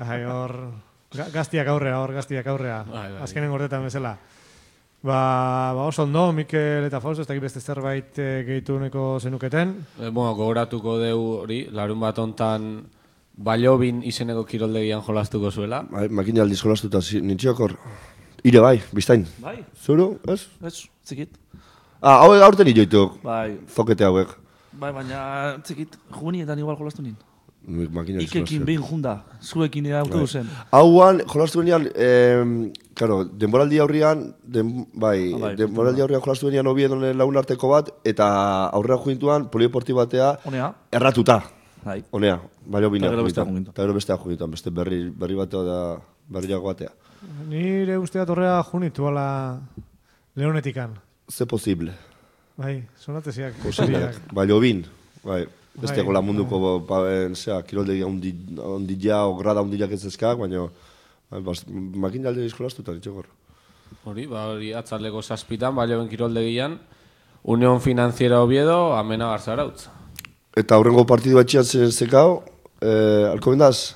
Ai, hor, gaztiak aurrea, hor, gaztiak aurrea. Azkenen gordetan bezala. Ba, ba oso ondo, Mikel eta Fausto, ez dakit beste zerbait gehitu neko zenuketen. E, bueno, gogoratuko deu hori, larun bat ontan... Baliobin izeneko kiroldegian jolastuko zuela. Bai, makina aldiz jolastuta nintziok hor. Ire bai, biztain. Bai. Zuru, ez? Ez, txikit. Ah, hauek aurten itoituk. Bai. Zokete hauek. Bai, baina txikit, jugunietan igual jolastu nin. Makina Ikekin behin junda, zuekin autobusen. Hauan, jolastu benean, eh, claro, denboraldi aurrian, den, bai, bai, denboraldi aurrian jolastu benean Oviedo lagun arteko bat, eta aurrera jointuan, polieporti batea, Honea. erratuta. Bai. Honea, baina bina. Eta gero bestea jogintu. Eta gero bestea jogintu, beste berri, berri batea da, berriago batea. Nire usteat horrea junitu ala Leonetikan. Ze posible. Bai, sonateziak. Posible. Bai, Lobin, bai. Beste Bai. gola munduko, ba, zera, kiroldegia ondila, o grada ondilak ez ezkak, baina makin jalde eskolaztutan, itxegor. Hori, ba, hori atzaldeko zazpitan, balioen kiroldegian, Unión Financiera Oviedo, amena Garzarautz. Eta aurrengo partidu batxian zen zekao, eh, alko bendaz?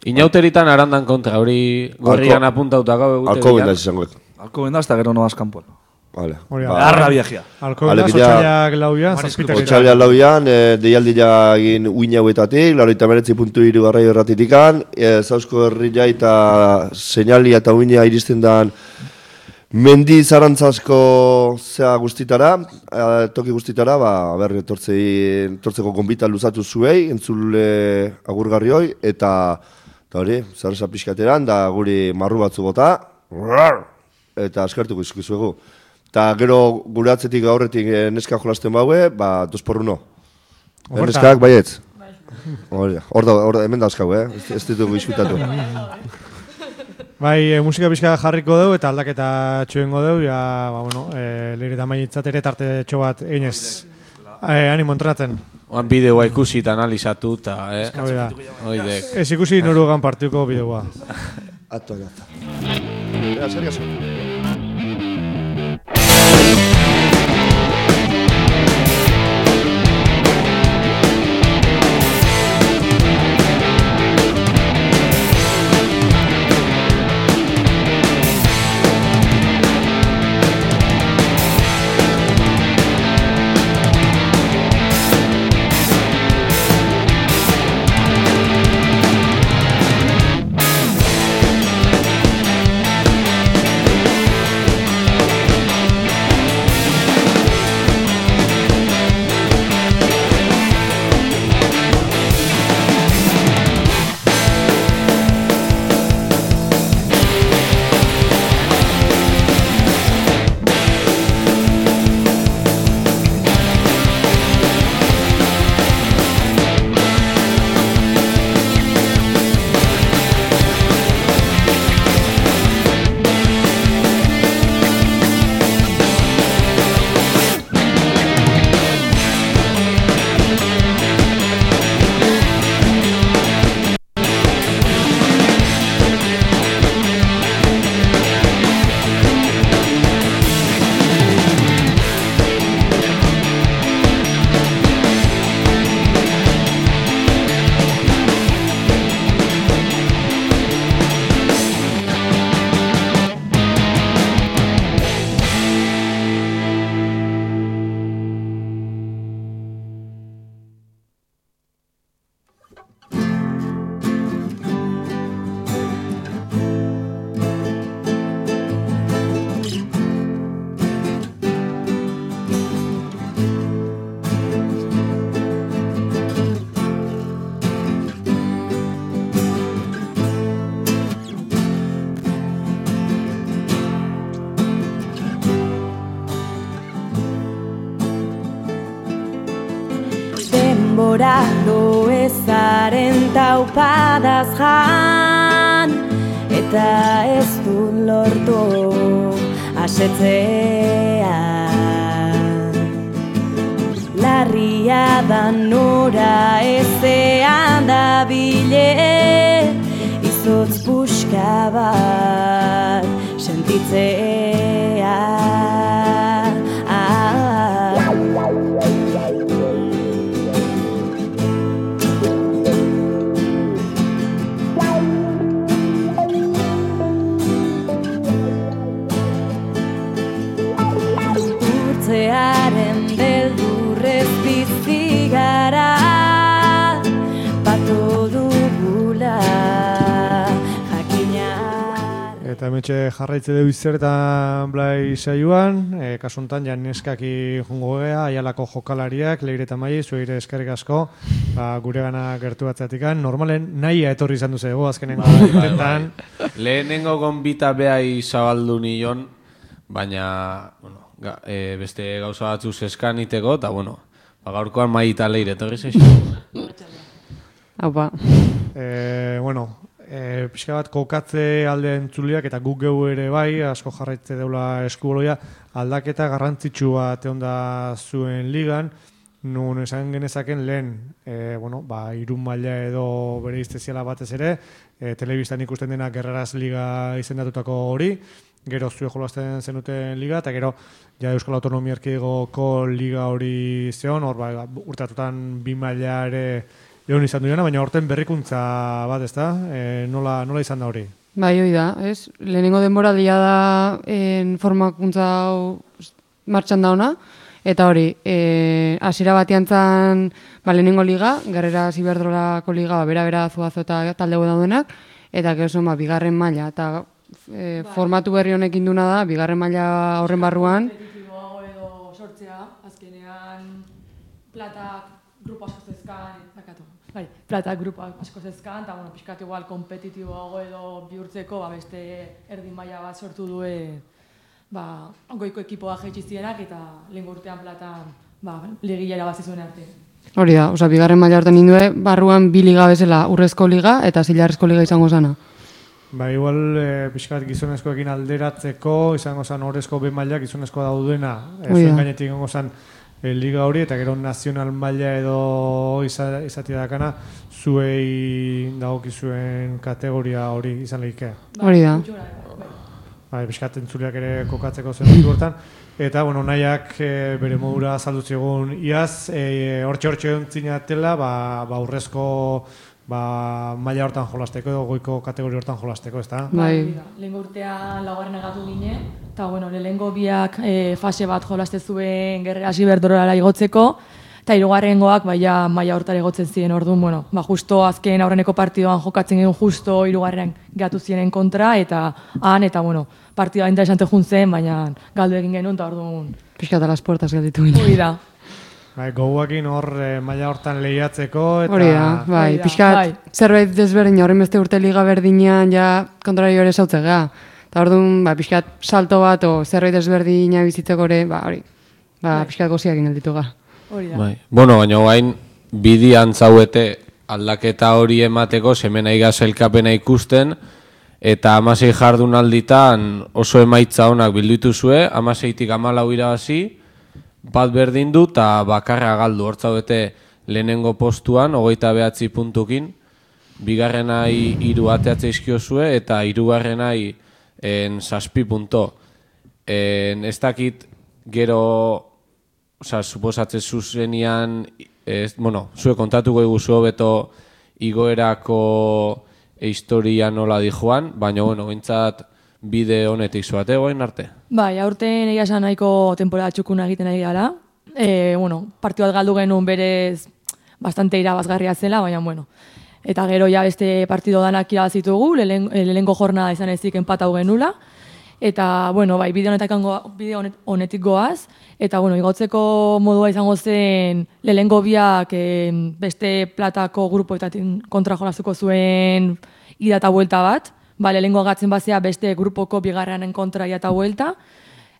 Inauteritan arandan kontra, hori gorrian apuntautako egute Alko bendaz izangoek. Alko bendaz, eta gero noaz kanpoan. Vale. Arra viajea. Alko bendaz, otxailak lauian, zazpitak. Otxailak lauian, e, deialdia egin uin hauetatik, laroita meretzi puntu iru garraio erratitikan, e, Zausko herria eta seinalia eta uina iristen dan mendi zarantzasko zea guztitara, e, toki guztitara, ba, berri etortzeko gonbita luzatu zuei, entzule agurgarri hoi, eta, eta hori, zarresa pixkateran, da guri marru batzu bota, eta askartuko izkizuegu. Eta gero gure atzetik aurretik neska jolasten baue, ba, dos por uno. Neskak, baietz? Hor da, hor da, hemen dauzkau, eh? Ez, ez ditugu izkutatu. Bai, e, musika pixka jarriko dugu eta aldaketa txuengo dugu, ja, ba, bueno, e, leire eta mainitzat ere tarte txo bat eginez. E, animo entrenatzen. Oan bideoa ikusi eta analizatu, eta, eh? Oidek. Ez ikusi norugan partituko bideoa. Ato, ato. Ea, zer gazo? Denborado ezaren taupadaz jan, eta ez du lortu asetzea. Larria da nora ezean da bile, izotz puska bat sentitzea. Urtzearen beldurrez bizi gara, pato dugula jakina. Eta hemetxe jarraitze dugu izertan blai saioan, e, kasuntan ja neskaki jungo gea, aialako jokalariak, leire eta mai, zueire eskerrik asko, ba, gure gana gertu batzatikan. Normalen nahia etorri izan duzego, azkenengo intentan. Lehenengo gonbita behai zabaldu nion, baina, bueno, ga, e, beste gauza batzu zeskan iteko, eta, bueno, ba, gaurkoan mai eta leire etorri zeixo. Haupa. E, bueno, E, pixka bat kokatze alde entzuliak eta guk geu ere bai, asko jarraitze deula eskuboloia, aldaketa garrantzitsu bat egon da zuen ligan, nun esan genezaken lehen, e, bueno, ba, irun maila edo bere izteziala batez ere, e, telebistan ikusten dena Gerraraz Liga izendatutako hori, gero zue jolasten zenuten liga, eta gero ja Euskal Autonomia Erkidegoko liga hori zeon, hor ba, urtatutan bi maila ere egon izan duena, baina horten berrikuntza bat, ez da? E, nola, nola izan da hori? Bai, hoi da, ez? Lehenengo denboraldia da en formakuntza hau martxan dauna, eta hori, e, hasiera batean zan ba, lehenengo liga, Gerrera Ziberdrolako liga, ba, bera-bera zuazo eta talde daudenak, eta gero ba, bigarren maila, eta e, formatu berri honekin duna da, bigarren maila horren barruan. Kompetitiboago edo sortzea, azkenean platak grupo asko zezkan, zakatu. Bai, plata grupo asko zezkan, eta bueno, pixkat igual kompetitiboago edo bihurtzeko, ba, beste erdin maila bat sortu due, ba, goiko ekipoa jaitsi zienak, eta lehen urtean plata, ba, legilera bat zizuen arte. Hori da, oza, bigarren maila horten nindue, barruan bi liga bezala, urrezko liga eta zilarrezko liga izango zana. Ba, igual, e, pixkat gizonezkoekin alderatzeko, izango zan horrezko be maila gizonezko daudena, e, zuen gainetik izango zan e, liga hori, eta gero nazional maila edo iza, izatea dakana, zuei dagokizuen kategoria hori izan lehike. Hori da. Ba, pixkat entzuleak ere kokatzeko zen hortan. Eta, bueno, nahiak e, bere modura azaldutzegun iaz, e, hortxe-hortxe ontzinatela, ba, ba, urrezko ba, maila hortan jolasteko edo goiko kategori hortan jolasteko, ez da? Bai. Lehengo urtean laugarren agatu gine, eta bueno, lehengo biak e, fase bat jolaste zuen Gerrera Ziberdrolara igotzeko, eta hirugarrengoak baia maila hortara igotzen ziren orduan, bueno, ba, justo azken aurreneko partidoan jokatzen genuen justo hirugarren gatu zienen kontra, eta han, eta bueno, partidua interesante juntzen, baina galdu egin genuen, eta orduan... Piskat a las puertas galditu ginen. Hoi da. Bai, goguakin hor e, maila hortan lehiatzeko, eta... Hori da, bai, pixkat zerbait desberdina, horren beste urte liga berdinean ja kontrario ere zautzega. Eta orduan, ba, pixkat salto bat o zerbait desberdina bizitzeko ere, ba, hori, ba, pixkat goziak inalditu ga. Hori da. Bai. Bueno, baina guain, bidian zauete aldaketa hori emateko, semena igazelkapena ikusten, eta amasei jardun alditan oso emaitza honak bildutu zue, amaseitik amalau irabazi, bat berdin du eta bakarra galdu. Hortzauete lehenengo postuan, hogeita behatzi puntukin, bigarrenai hiru ateatze izkiozue eta hirugarrenai en zazpi punto. En, ez dakit gero, oza, suposatze zuzenian, ez, bueno, zue kontatuko iguzu beto igoerako historia nola di joan, baina, bueno, bintzat bide honetik zuate goen arte. Bai, aurten egia esan nahiko temporada txukuna egiten ari gara. E, bueno, partidu bat galdu genuen berez bastante irabazgarria zela, baina, bueno. Eta gero ja beste partido danak irabazitugu, lehengo jornada izan ezik enpatau genula. Eta, bueno, bai, bide honetik, bide honetik goaz. Eta, bueno, igotzeko modua izango zen lehengo biak eh, beste platako grupoetatik kontra jolazuko zuen ida eta buelta bat. Ba, lehengo agatzen bazea beste grupoko bigarranen kontra ida eta buelta.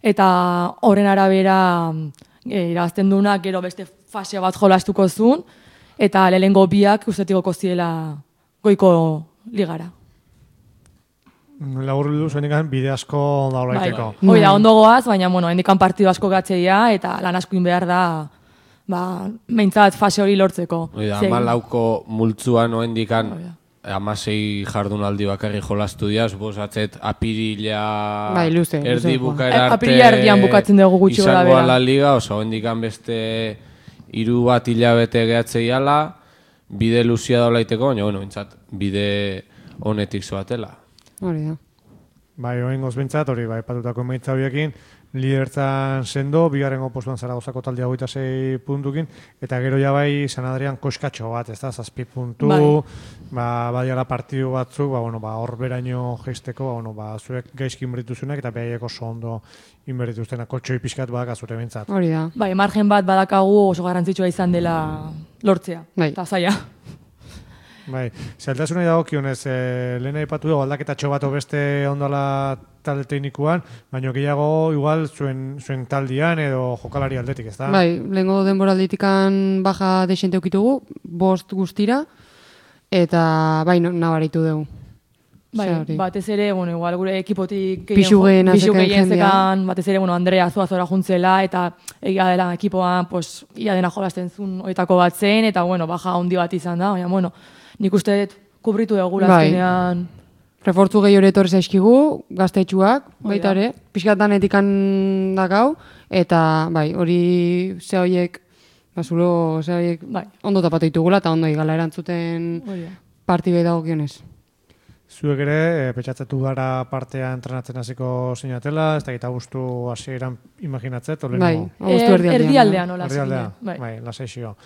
Eta horren arabera e, irabazten dunak gero beste fase bat jolastuko zuen. Eta lehengo biak ustetigoko ziela goiko ligara. Lagur bildu zuen ikan bide asko daulaiteko. Bai, hoi da, ondo goaz, baina, bueno, hendikan partidu asko gatzeia, eta lan asko behar da, ba, meintzat fase hori lortzeko. Hoi da, amalauko multzuan oendikan amasei jardunaldi bakarri jolastu dira, suposatzet apirila bai, luze, erdi luze, bukaera arte apirila erdian bukatzen dugu gutxi gara bera. Izango ala liga, oso oendikan beste hiru bat hilabete gehatzeiala, bide luzia daulaiteko, baina, bueno, bintzat, bide honetik zoatela. Hori da. Bai, oen gozbintzat, hori, bai, patutako emaitza horiekin, lidertzan sendo, bigarrengo postuan Zaragozako taldea hogeita sei puntukin, eta gero ja bai San Adrian koskatxo bat, ez da, zazpi puntu, Bai. ba, badiala partidu batzuk, ba, bueno, ba, hor beraino geisteko, ba, bueno, ba, zuek gaizki inberituzunak, eta behaiek oso ondo inberituztenak, koltsoi pixkat badak azure bintzat. Hori da. Bai, margen bat badakagu oso garrantzitsua izan dela lortzea. Bai. Eta zaila. Bai, zailtasunei dagokionez, e, lehen aipatu dugu aldaketatxo bat beste ondala talde teknikuan, baina gehiago igual zuen, zuen taldian edo jokalari aldetik, ez da? Bai, lehengo denboralditikan baja desente ukitugu, bost guztira, eta bai, no, nabaritu dugu. Bai, Osea, hori. batez ere, bueno, igual gure ekipotik Pisu gehiena pisu zeken gehien jendea. zekan, batez ere, bueno, Andrea Zuazora juntzela, eta egia dela ekipoan, pues, ia dena jolasten zuen oitako bat zen, eta, bueno, baja handi bat izan da, baina, bueno, nik uste dut kubritu dugula Bai. azkenean. Refortzu gehi hori etorri zaizkigu, gaztetxuak, Hori baita da. ere, pixkatanetik dakau, eta bai, hori ze horiek, bazulo, ze horiek Bai. ondo tapatu ditugula, eta ondo igala erantzuten Hori da. partidei dagokionez. Zuek ere, e, petxatzatu gara partea entrenatzen hasiko zinatela, ez da gita guztu hasieran imaginatzet, o Bai, lehenengo? abuztu erdialdean. Erdialdean, hola, Erdialdea, zinen, bai. bai, lasaixio.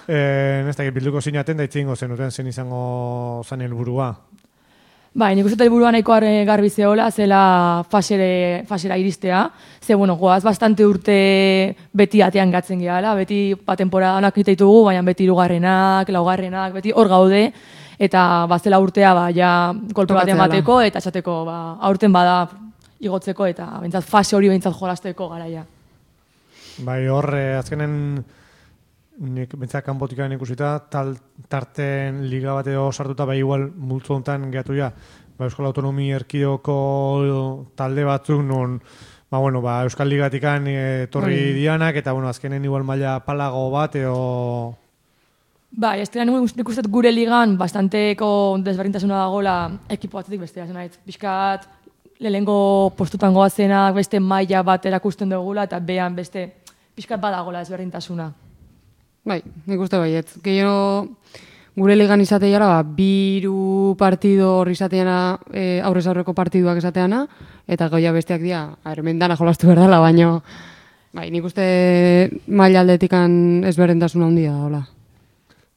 Eh, ez da bilduko zinaten, da itzingo zenuten zen izango zen helburua. Bai, nik uste helburua nahiko ar- garbi zehola, zela fasere, fasera iristea. Ze, bueno, goaz bastante urte beti atean gatzen gehala, beti ba, temporadanak ditugu, baina beti hirugarrenak, laugarrenak, beti hor gaude, eta bazela urtea, ba, ja, kolpe batean Tokatzea bateko, eta esateko, ba, aurten bada igotzeko, eta bentsat fase hori bentsat jolasteko garaia. Bai, hor, eh, azkenen nik bentzak kanpotikan ikusita, tal, tarten liga bat edo sartuta, bai igual multzo honetan gehatu ja, ba, Euskal Autonomi Erkidoko talde batzuk, non, ba, bueno, ba, Euskal Ligatikan eh, torri Bai. dianak, eta, bueno, azkenen igual maila palago bat, edo... Bai, ez dira nik uste dut gure ligan bastanteko desberdintasuna dagoela ekipo batzetik bestea, zen nahit. Bizkat, lehengo postutan goazenak beste maila bat erakusten dugula, eta behan beste pixkat badagola desberdintasuna. Bai, nik uste baiet. Gehiago gure ligan izateara, ba, biru partido hor izateana, e, aurrez aurreko partiduak izateana, eta goia besteak dira, hemen dana jolastu behar dela, baina bai, nik uste maila aldetikan ezberdintasuna handia da, hola.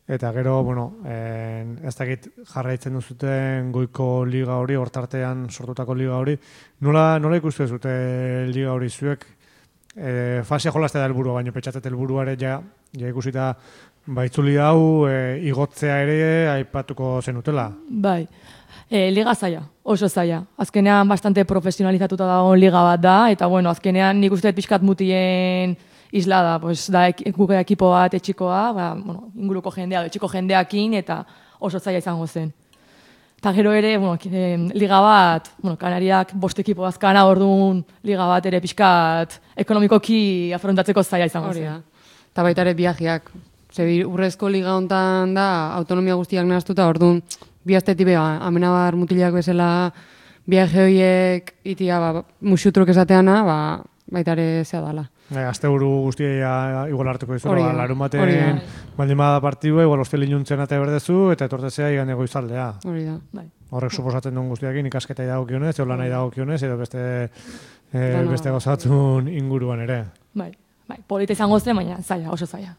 Eta gero, bueno, eh, ez dakit jarraitzen duzuten goiko liga hori, hortartean sortutako liga hori, nola, nola ikustu zute liga hori zuek? E, fasea jolaztea da helburua, baina petxatzet helburuare ja, ja ikusita baitzuli hau e, igotzea ere aipatuko zenutela. Bai, e, liga zaila, oso zaila. Azkenean bastante profesionalizatuta dago liga bat da, eta bueno, azkenean nik uste dut pixkat mutien isla da, pues, da ek, guke ekipo bat etxikoa, ba, bueno, inguruko jendea, etxiko jendeakin, eta oso zaila izango zen. Eta gero ere, bueno, eh, liga bat, bueno, Kanariak bost ekipo bazkana, orduan liga bat ere pixkat ekonomikoki afrontatzeko zaila izango Hori zen. da. Eta baita ere biajiak. Ze urrezko liga hontan da, autonomia guztiak nahaztuta, orduan, bi astetik beha, amenabar mutilak bezala, biaje horiek itia, ba, musutruk esateana, ba, baita ere zea dala. E, Asteburu guztia igual hartuko dizu, Hori da, ba, larun hori baten da. baldin bada partidua, igual ostel inuntzen ate berdezu, eta etortezea igan egoizaldea. Hori da. Bai. Horrek suposatzen duen guztiakin ikasketa dagokionez, edo lanai dagokionez, edo beste, e, Dana- beste gozatzun inguruan ere. Bai, bai, polita izango zen, baina zaila, oso zaila.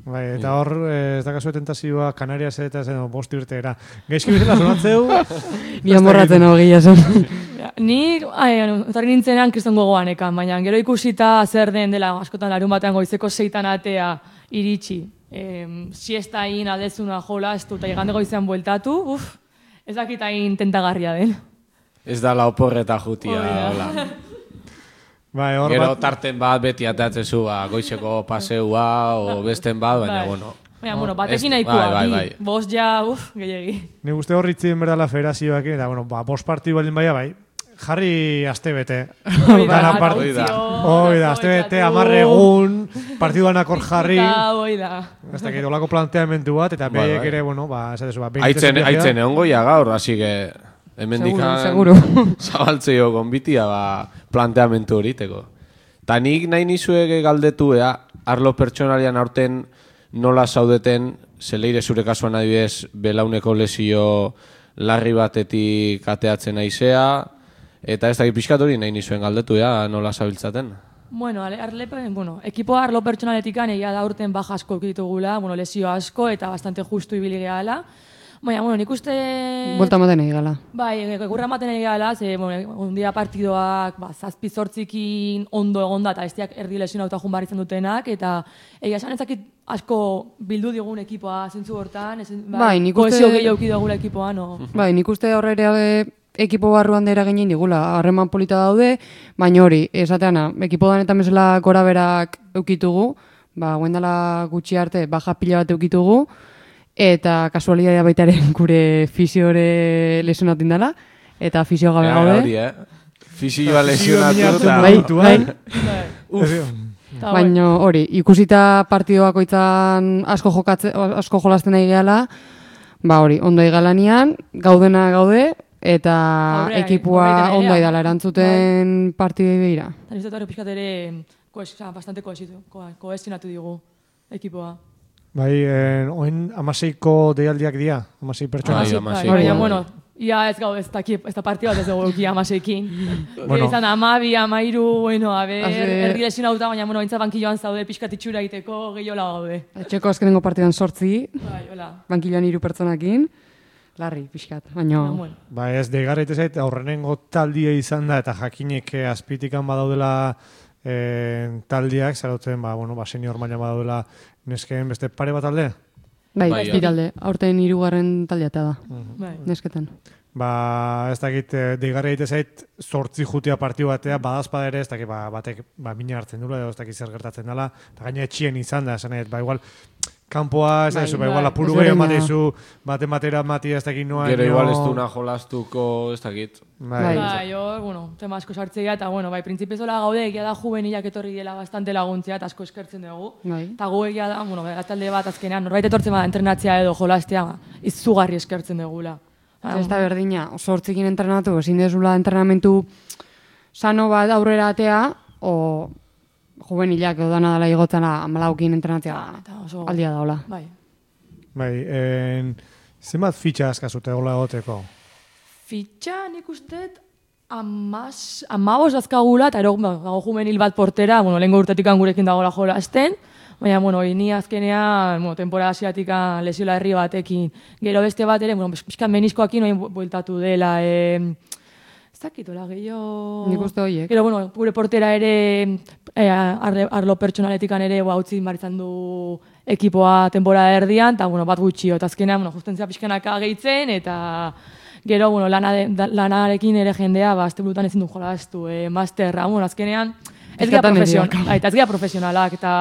Bai, eta hor, eh, ez dakazu tentazioa Kanarias eta zen bost irteera. Gaizki bizela zonatzeu... Ni amorratzen hau gila zen. Ja, ni, etorri nintzenean kriston gogoan ekan, baina gero ikusita zer den dela askotan larun batean goizeko seitan atea iritsi. E, siesta hain aldezuna jola, ez dut, igande goizean bueltatu, uf, ez dakit hain tentagarria den. Ez da la oporreta jutia, Hori da. hola. Bai, hor Gero bat- tarten bat beti atatzen zu, ba, goizeko paseua, o besten bat, baina, Bai. bueno. Baina, bueno, Ez- batekin nahikoa, bai, bai, bi, bai. bost ja, uf, gehiagi. Ni uste hor itzien berdala federazioak, eta, bueno, ba, bost partidu baldin baia, bai, jarri astebete. Hori da, Dana part- hori da. Hori da, astebete, amarre egun, partiduanak hor jarri. Eta, hoi da. Ez dakit, olako planteamentu bat, eta Bai, behiek bai. ere, bueno, ba, esatezu, ba, Aitzen, aitzen egon goia gaur, así que hemendikan Seguro, seguro. zabaltzeo konbitia ba, planteamentu horiteko. Ta nik nahi nizuege galdetu ea, arlo pertsonalian aurten nola zaudeten, zeleire zure kasuan adibidez, belauneko lesio larri batetik ateatzen naizea, Eta ez da pixkat hori nahi nizuen galdetu, ja, nola zabiltzaten. Bueno, arlepen, bueno, ekipoa arlo pertsonaletikan egia da urten baja asko ditugula, bueno, lesio asko eta bastante justu ibili gehala. Baina, bueno, nik uste... Buelta ematen egin gala. Bai, egurra ematen egin gala, ze, bueno, ondia partidoak, ba, zazpi zortzikin ondo egonda, eta bestiak erdi lesionauta jun barritzen dutenak, eta egia esan ezakit asko bildu digun ekipoa zentzu hortan, ez, bai, bai, nik uste... kohesio gehiago dugula ekipoa, no? Bai, nik uste horre ekipo barruan dira ginen digula, harreman polita daude, baina hori, esateana, ekipo danetan bezala gora berak eukitugu, ba, guendala gutxi arte, baja pila bat eukitugu, eta kasualidadea baita ere gure fisiore lesionatin dela, eta fisio gabe gaude. Hori, eh? Fisioa lesionatu eta... Bai, bai. Baina hori, ikusita partidoak oitzan asko jokatze, asko jolasten nahi gehala, ba hori, ondo egalanean, gaudena gaude, eta Aurrea, ekipua ondo aidala erantzuten partidei behira. Eta nizte horre pixkat ere bastante kohesionatu digu ekipoa. Bai, eh, oin amaseiko deialdiak dira, amasei pertsona. Bai, amaseiko. Baina, bueno, ia ez gau, ez da, ez da partida bat ez dugu egia amaseikin. Bueno. Izan da, amabi, amairu, bueno, a ber, erdi lesionauta, baina, bueno, intza bankilloan zaude pixkat itxura egiteko gehiola gaude. Etxeko azkenengo partidan sortzi, bai, hola. Bankilloan hiru pertsonakin, larri, pixkat, baina... Bueno. Ba, ez, deigarra itezait, aurrenengo taldia izan da, eta jakinek azpitikan badaudela eh, taldiak, zarautzen, ba, bueno, ba, senior maila badaudela neskeen beste pare bat talde? Bai, ez bai, talde. Aurten hirugarren taldea da, bai. Nesketan. Ba, ez dakit, deigarra egite zait, zortzi jutia partiu batea, badazpada ere, ez dakit, ba, batek, ba, mina hartzen dula, edo ez dakit zer gertatzen dela, eta gaina etxien izan da, esan egin, ba, igual, kanpoa, ez da, ba, igual, apuru gehiago ematizu, baten batera emati, ez dakit noa... Gero igual ez duna jolastuko, ez dakit. Bai, bai, jo, bueno, tema asko sartzea, eta, bueno, bai, printzipiozola gaude, egia da juvenilak etorri dela bastante laguntzea, eta asko eskertzen dugu. Eta gu egia da, bueno, talde bat azkenean, norbait etortzen bada entrenatzea edo jolastea, izugarri eskertzen dugula. Ez da berdina, oso hortzikin entrenatu, ezin dezula entrenamentu sano bat aurrera atea, o juvenilak edo dana dela igotzana amalaukin entrenatzea aldia da, hola. Bai. Bai, en, zenbat fitxa askazute hola egoteko? Fitxa nik usteet amabos azkagula, eta ero gago juvenil bat portera, bueno, lehenko urtetik gurekin dagoela jolasten, baina, bueno, ni azkenean, bueno, temporada hasieratik lesiola herri batekin. Gero beste bat ere, bueno, pixkan meniskoakin oin bueltatu dela, eh, ez dakitola, gehiago... Nik uste horiek. Gero, bueno, gure portera ere, eh, arlo pertsonaletikan ere, ba, utzi maritzan du ekipoa temporada erdian, eta, bueno, bat gutxio, eta azkenean, bueno, justentzia pixkanaka gehitzen, eta... Gero, bueno, lana de, da, lanarekin ere jendea, ba, azte burutan ezin du jolaztu, eh, masterra, bueno, azkenean, ez gira profesionalak, eta ez gira profesionalak, eta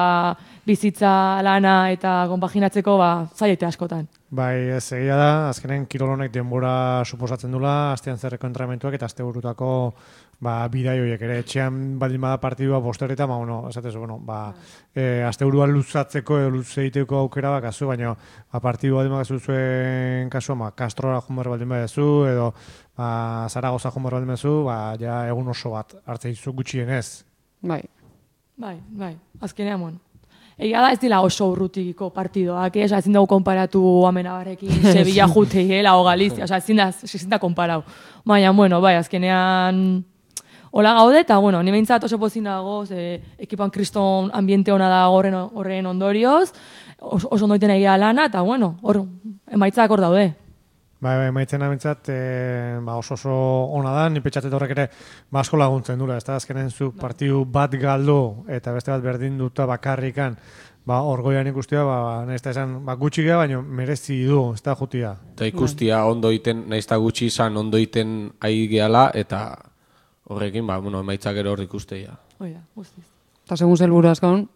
bizitza, lana, eta konpaginatzeko, ba, zaiete askotan. Bai, ez egia da, azkenen kirolonek denbora suposatzen dula, astean zerreko entrenamentuak, eta aste burutako, ba, bidai horiek ere, etxean baldin bada partidua bostereta, ba, bueno, esatez, bueno, ba, e, aste burua luzatzeko, edo luzeiteko aukera bakazu, baina, ba, partidua baldin bakazu zuen kasua, ba, Kastrora jumar baldin badazu, edo, ba, Zaragoza jumar baldin badazu, ba, ja, egun oso bat, hartzei zu gutxienez. Bai. Bai, bai, azkenean, bueno. Egia da ez dira oso urrutikiko partidoak, eh? Ezin dugu konparatu Amenabarrekin, Sevilla juteiela o Galizia, oza, ezin da, ezin da konparau. Baina, bueno, bai, azkenean hola gaude, eta, bueno, ni behintzat oso pozin dago, ze, ekipan kriston ambiente hona da horren, horren ondorioz, oso, oso ondoiten egia lana, eta, bueno, hor, emaitzak hor daude. Bai, bai, maitzen abintzat, e, ba, oso oso ona da, ni petxatet horrek ere ba, asko laguntzen dula, ez da, azkenen zu partiu bat galdu eta beste bat berdin duta bakarrikan, ba, orgoian ikustia, ba, nahiz da esan, ba, gutxi geha, baina merezi du, ez da jutia. Eta ikustia ondo iten, nahiz da gutxi izan, ondo iten ahi gehala, eta horrekin, ba, bueno, emaitzak ero hor ikusteia. Oida, guztiz. Eta segun zelburu azkaun,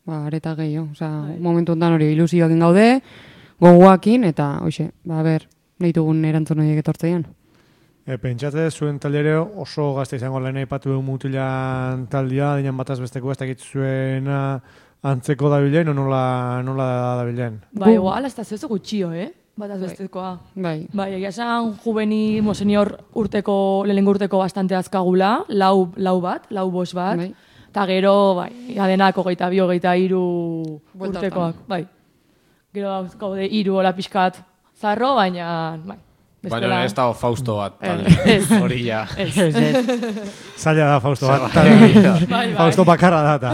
ba, areta gehiago, oza, momentu ondan hori ilusioakin gaude, gogoakin, eta, hoxe, ba, ber, nahi dugun erantzun horiek etortzean. E, pentsate, zuen taldere oso gazte izango lehen aipatu dugu mutilan taldia, dinan bataz besteko ez dakit zuena antzeko dabilen, o nola, nola dabilen? Ba, igual, ez da zezo gutxio, eh? Bataz bestekoa. Bai. Bai, egia esan juveni, mo, senior urteko, lehenengo urteko bastante azkagula, lau, lau bat, lau bos bat, bai. Eta gero, bai, adenak hogeita bi, hogeita hiru urtekoak, bai. Gero gaude hiru hola pixkat, zarro, baina, bai, Baina ez dago Fausto bat, hori ja. Zaila da Fausto bat, Fausto bakarra data.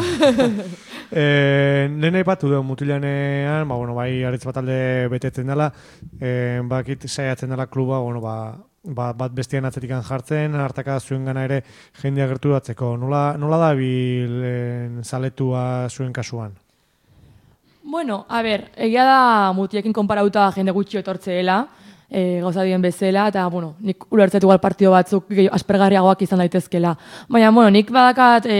Eh, Nena ipatu dugu mutilanean, ba, bueno, bai aritz bat alde betetzen dela, eh, bakit saiatzen dela kluba, bueno, ba, ba, bat bestian atzetikan jartzen, hartaka zuen gana ere jendea gertu datzeko. Nola, nola da bil zaletua zuen kasuan? Bueno, a ber, egia da mutiekin konparauta jende gutxi etortzeela, e, gauza dien bezala, eta, bueno, nik ulertzetu gal partio batzuk aspergarriagoak izan daitezkela. Baina, bueno, nik badakat e,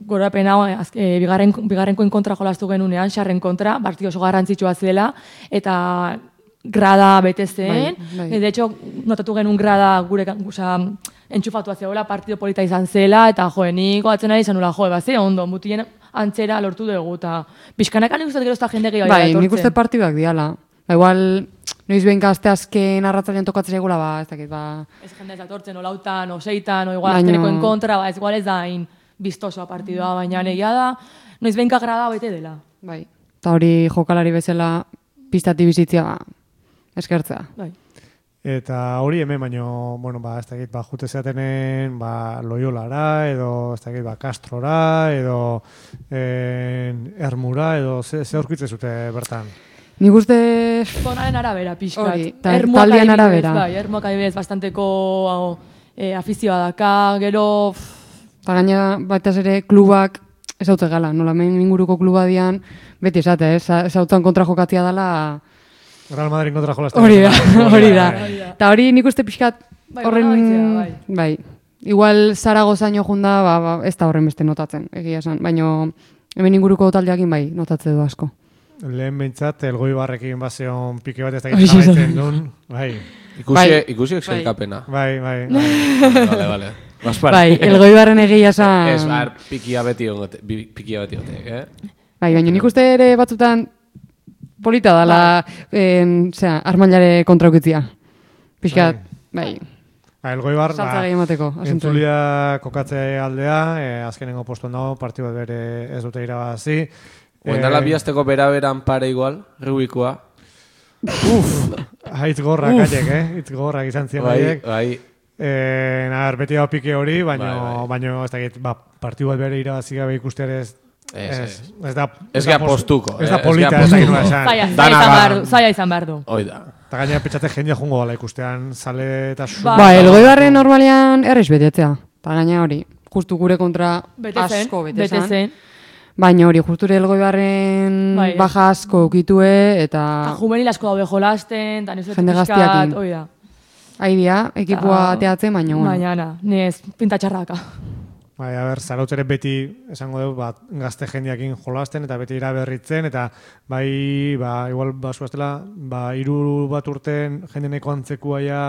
gorapen hau, e, bigarren, bigarrenkoen kontra jolastu genunean, xarren kontra, partio oso garrantzitsua zela, eta grada bete zen. Bai, bai. De hecho, notatu genuen grada gure, oza, entxufatua zegoela, partido polita izan zela, eta joe, nik goatzen ari izan nula, joe, bat ze, ondo, mutien antzera lortu dugu, eta pixkanaka nik uste gero ez da jende gehiago bai, etortzen. Nik uste partiduak diala. Ba, igual, noiz behin gazte azken arratzalean tokatzen egula, ba, ez dakit, ba... Ez jende ez atortzen, o lautan, o seitan, o igual azkeneko en kontra, ba, ez igual ez da hain biztosoa partidua, baina negia da, noiz behin kagrada bete dela. Bai, eta hori jokalari bezala pistati bizitzia, ba, eskertzea. Bai. Eta hori hemen, baino, bueno, ba, ez dakit, ba, jute zeatenen, ba, Loyolara, edo, ez dakit, ba, Castrora, edo, en, Ermura, edo, ze, ze aurkitze zute bertan? Nik uste... Zonaren arabera, pixkat. Hori, taldean arabera. Bai, Ermuak adibidez bastanteko e, afizioa daka, gero... Eta gaina, batez ere, klubak ez haute gala, nola men inguruko kluba dian, beti esate, ez hautan kontra jokatzia dela... Real Madrid kontra jolazten. Hori da, hori da. Eta hori nik uste pixkat horren... Bai, bai. Igual Zaragozaino junda, ba, ba, ez da horren beste notatzen, egia esan. Baina hemen inguruko taldeakin bai, notatze du asko. Lehen behintzat, elgoi barrekin bazeon pike bat ez da gizabaitzen duen. Bai. Ikusi, ikusi exelkapena. Bai, bai. Vale, vale. Bai, elgoi barren egia esan... Ez, bar, pikia beti ongote, pikia beti ongote, eh? Bai, baina nik uste ere batzutan polita dala, zera, armailare kontraukitzia. Piskat, bai. Ba, elgoi bar, ba, entzulia kokatze aldea, eh, azkenengo postuan dago, partidu bat bere ez dute irabazi. Oendala eh, bihazteko bera-beran pare igual, Rubikoa. Uf, haitz gorrak aiek, eh? Haitz gorrak izan ziren aiek. Bai, bai. Eh, Naher, beti hau pike hori, baina bai, bai. ez dakit, ba, partidu bat bere irabazi gabe ikustean ez... Ez, ez. Ez da... Ez gea postuko. Ez da polita, ez da ginoa esan. Zaila izan behar du. Oida. Eta gaina petxate jendia jungo gala ikustean, zale eta su... Ba, elgoi barren normalian errez betetzea. Eta gaina hori, justu gure kontra asko betezan. Baina hori, justure elgoi barren bai, baja asko ukitue, eta... Eta juvenil asko daude jolasten, eta nizuetu jende gaztiakin. Oi da. Aidia, ekipua teatzen, baina bueno. Baina, na, nez, pintatxarraka. Bai, a ber, zarautzere beti, esango dugu, bat, gazte jendiakin jolasten, eta beti iraberritzen, eta bai, ba, igual, basu aztela, ba, hiru bat urten jendeneko antzekua ja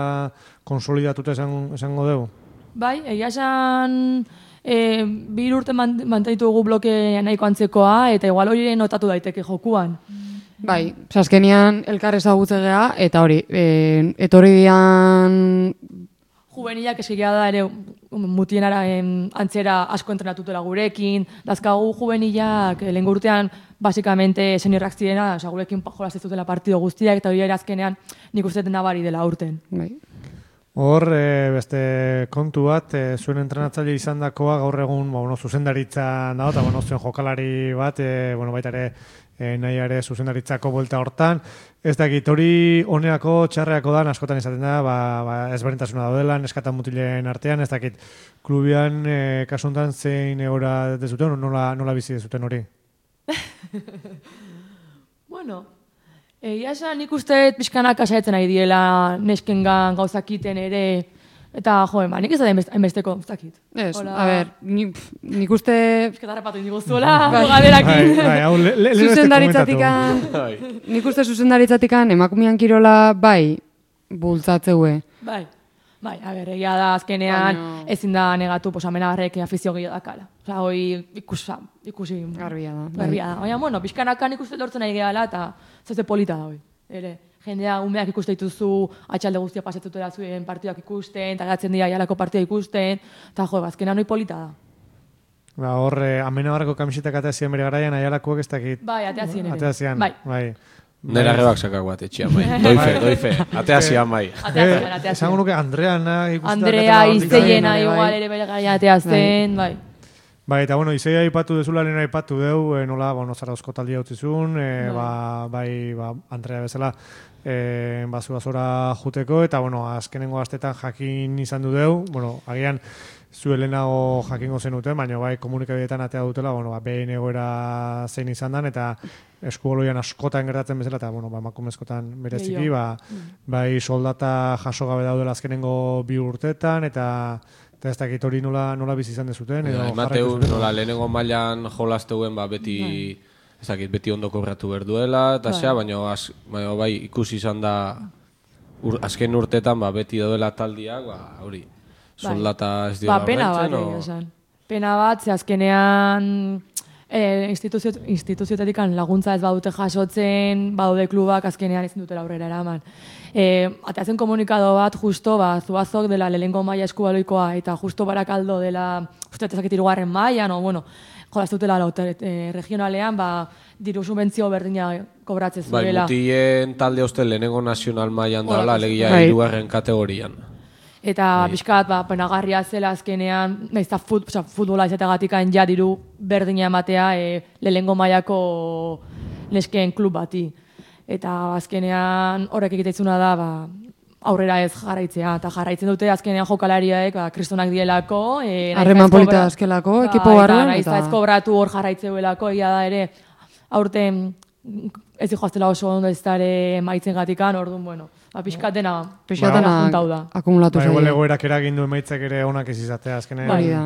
konsolidatuta esan, esango dugu. Bai, egia esan... E, bi urte mantenitu dugu bloke nahiko antzekoa, eta igual hori notatu daiteke jokuan. Bai, azkenean elkar ezagutze gea, eta hori, e, etorri dian... Juvenilak eskigia da ere mutienara antzera asko entrenatutela gurekin, dazkagu juvenilak lehen urtean basikamente seniorrak zirena, oza, gurekin jolaztezutela partido guztiak, eta hori ere azkenean nik uste nabari dela urten. Bai. Hor, e, beste kontu bat, e, zuen entrenatzaile izan dakoa gaur egun ba, bueno, zuzendaritza dago, eta bueno, zuen jokalari bat, e, bueno, baita ere e, nahi ere zuzendaritzako buelta hortan. Ez dakit, hori honeako txarreako da, askotan izaten da, ba, ba, ezberdintasuna daudela, neskatan mutilen artean, ez dakit, klubian e, kasuntan zein egora dezuten, nola, nola bizi dezuten hori? Bueno... Egia esan nik uste pixkanak asaitzen nahi diela neskengan gauzakiten ere, eta joe, ba, nik ez da hainbesteko zakit. Ez, a ber, nik, nik uste... Pisketarrapatu indigo zuela, bogaderakin. Zuzendaritzatik-an, nik uste zuzendaritzatik-an emakumian kirola bai bultzatzeue. Bai, bai, a ber, egia da azkenean Baino... ezin da negatu posamena barrek afizio gehiago dakala. Osa, hoi ikusa, ikusi... Garbia da. Garbia da. Baina, bueno, pixkanakan ikuste lortzen nahi gehala, eta zeze polita da hoi. Ere, jendea umeak ikuste dituzu, atxalde guztia pasetzutela zuen partidak ikusten, eta gatzen dira jalako partida ikusten, eta jo, azkenean hoi polita da. Ba, hor, eh, amena barrako kamisetak ateazien bere garaian, aialakoak ez dakit... Bai, ateazien ere. Ateazien, bai. bai. Nera rebak sakak bat etxia mai. Doife, doife. Atea zian mai. Esango nuke Andreana ikusten. Andrea Izeiena igual ere bere gaia atea zen, bai. Bai, eta bueno, Izeia aipatu dezula, lehen aipatu deu, e, nola, bueno, Zarauzko taldia utzizun, e, ba, bai, ba, Andrea bezala, e, bazu azora juteko, eta, bueno, azkenengo astetan jakin izan du deu, bueno, agian, zu helenago jakingo zenuten, baina bai komunikabideetan atea dutela, bueno, ba, behin egoera zein izan dan, eta eskuoloian askotan gertatzen bezala, eta, bueno, ba, emakumezkotan bereziki, ba, bai soldata jaso gabe daudela azkenengo bi urtetan, eta eta ez dakit hori nola, nola bizi izan dezuten, edo Mateu, nola lehenengo mailan jolazteuen, ba, beti, ez dakit, beti ondo kobratu berduela, eta zea, baina bai ikusi izan da, ur, azken urtetan, ba, beti daudela taldiak, ba, hori, soldata ez dira ba, pena bat, o... esan. Pena bat, ze azkenean eh, instituzio, instituzioetatik laguntza ez badute jasotzen, badaude klubak azkenean ezin dutela aurrera eraman. Eh, ateatzen komunikado bat, justo, ba, Zuazok dela lehengo maila eskubaloikoa, eta justo Barakaldo dela, uste ezakit irugarren maila, no, bueno, jolaztutela eh, regionalean, ba, diru subentzio berdina kobratzen zuela. Bai, mutien talde uste lehenengo nazional mailan dala, legia irugarren kategorian. Eta pixkat, ba, penagarria zela azkenean, nahiz fut, futbola izateagatikan ja diru berdina ematea e, lehengo mailako neskeen klub bati. Eta azkenean horrek egiteitzuna da, ba, aurrera ez jarraitzea. Eta jarraitzen dute azkenean jokalariak, ba, kristonak dielako. Harreman e, polita azkelako, ekipo barruan. Nahiz ez kobratu hor jarraitzeuelako, egia da ere, aurten ez dihoaztela oso ondo ez dara maitzen gatikan, orduan, bueno, ba, pixkat dena, pixkat dena juntau da. Akumulatu zaila. Ba, igual egoerak eragin du emaitzak ere onak ez izatea, azkenean. Hori da.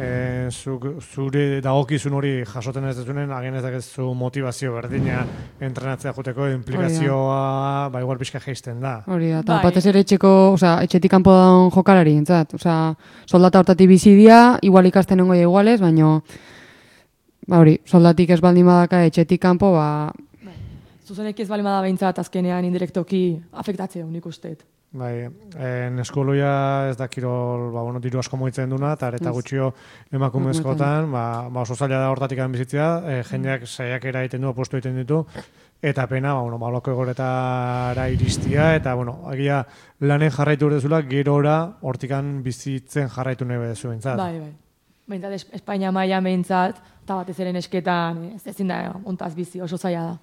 E, zu, zure dagokizun hori jasoten ez dezunen, agen ez dakezu motivazio berdina entrenatzea joteko, implikazioa, ba, igual pixka geisten da. Hori da, eta batez ere etxeko, oza, etxetik kanpo daun jokalari, entzat, oza, soldata hortatik bizidia, igual ikasten nengo iguales, baino, ba hori, soldatik ez baldin badaka etxetik kanpo, ba... Zuzenek ez baldin bada behintzat azkenean indirektoki afektatzea unik usteet. Bai, en eskoloia ez da kirol, ba, bueno, diru asko moitzen duna, eta areta gutxio emakumezkotan, ba, ba oso zaila da hortatik bizitzea, e, jendeak saiakera egiten du, apostu egiten ditu, eta pena, ba, bueno, ba, loko egoretara iristia, eta, bueno, agia lanen jarraitu urdezula, gerora hortikan bizitzen jarraitu nahi bedezu bintzat. Bai, bai. Behintzat, Espainia maila behintzat, eta batez ere esketan, ez ezin da, ontaz bizi, oso zaila da.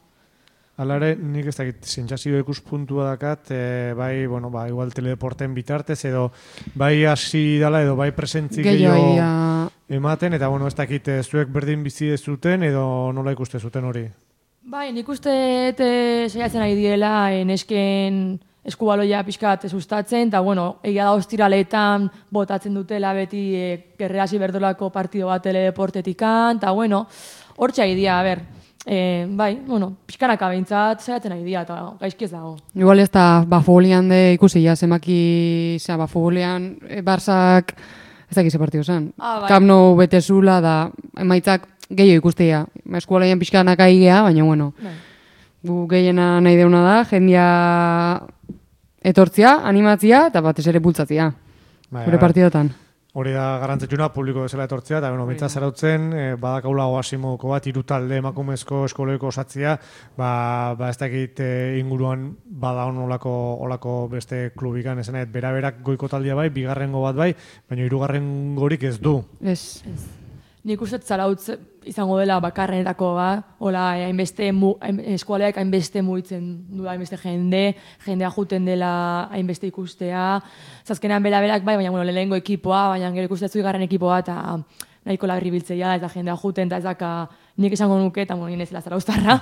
Hala ere, nik ez dakit, sentsazio ikuspuntua dakat, e, bai, bueno, ba, igual teledeporten bitartez, edo bai hasi dala, edo bai presentzik gehiago ematen, eta, bueno, ez dakit, zuek berdin bizi dezuten, edo nola ikuste zuten hori? Bai, nik uste e, saiatzen ari diela, nesken eskubaloia pixkat sustatzen, eta, bueno, egia da ostiraletan botatzen dutela beti e, gerreasi berdolako partido bat teledeportetikan, eta, bueno, hortxe idea, a ber, E, bai, bueno, pixkanaka behintzat zaiatzen nahi dira, eta gaizki ez dago. Igual ez da, ba, futbolian de ikusi, ja, zemaki, zera, ba, futbolian, e, Barzak, ez dakize partio zen. Ah, bai. Camp Nou bete zula, da, emaitzak gehiago ikustea. Eskualean pixkanaka igea, baina, bueno, bai. Gu gehiena nahi deuna da, jendia etortzia, animatzia, eta batez ere bultzatzia, bai, gure partidotan. Hori da garrantzitsuna, publiko bezala etortzea, eta bueno, bintzat zarautzen, e, badakaula oasimoko bat, irutalde emakumezko eskoloiko osatzia, ba, ba ez dakit e, inguruan bada olako, olako beste klubikan, esanet, bera-berak goiko taldia bai, bigarrengo bat bai, baina hirugarren gorik ez du. Ez, ez. Nik uste zarautz izango dela bakarrenetako ba, hola, hainbeste eskualeak hainbeste mugitzen du hainbeste jende, jendea juten dela hainbeste ikustea, zazkenean bera-berak bai, baina bueno, lehenengo ekipoa, baina gero ikustezu igarren ekipoa, eta nahiko lagri biltzea, eta jendea juten, eta ez daka nik esango nuke, eta bueno, inezela zarauztarra,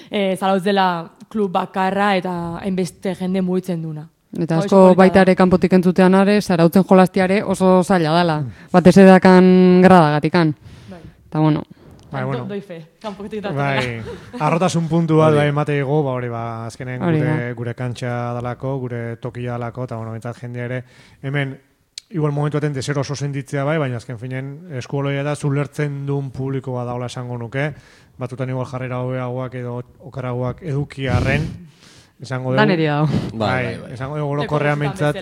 e, zarauz dela klub bakarra, eta hainbeste jende mugitzen duna. Eta asko baita ere kanpotik entzutean are, zarautzen jolastiare oso zaila dela. Batez edakan gradagatikan. Eta bueno. Bai, bueno. Doi fe, kanpotik datzen. Bai, arrotasun puntu bat bai emate ego, ba hori ba, azkenen gure, gure kantxa dalako, gure tokia dalako, eta bueno, bentsat jendea ere, hemen, igual momentu aten dezer oso senditzea bai, baina azken finen eskuoloia da zulertzen duen publiko bat daula esango nuke, batutan igual jarrera hobeagoak edo okaragoak edukiarren, esango dugu. Dan eri dago. Bai, esango dugu orokorrean mintzat.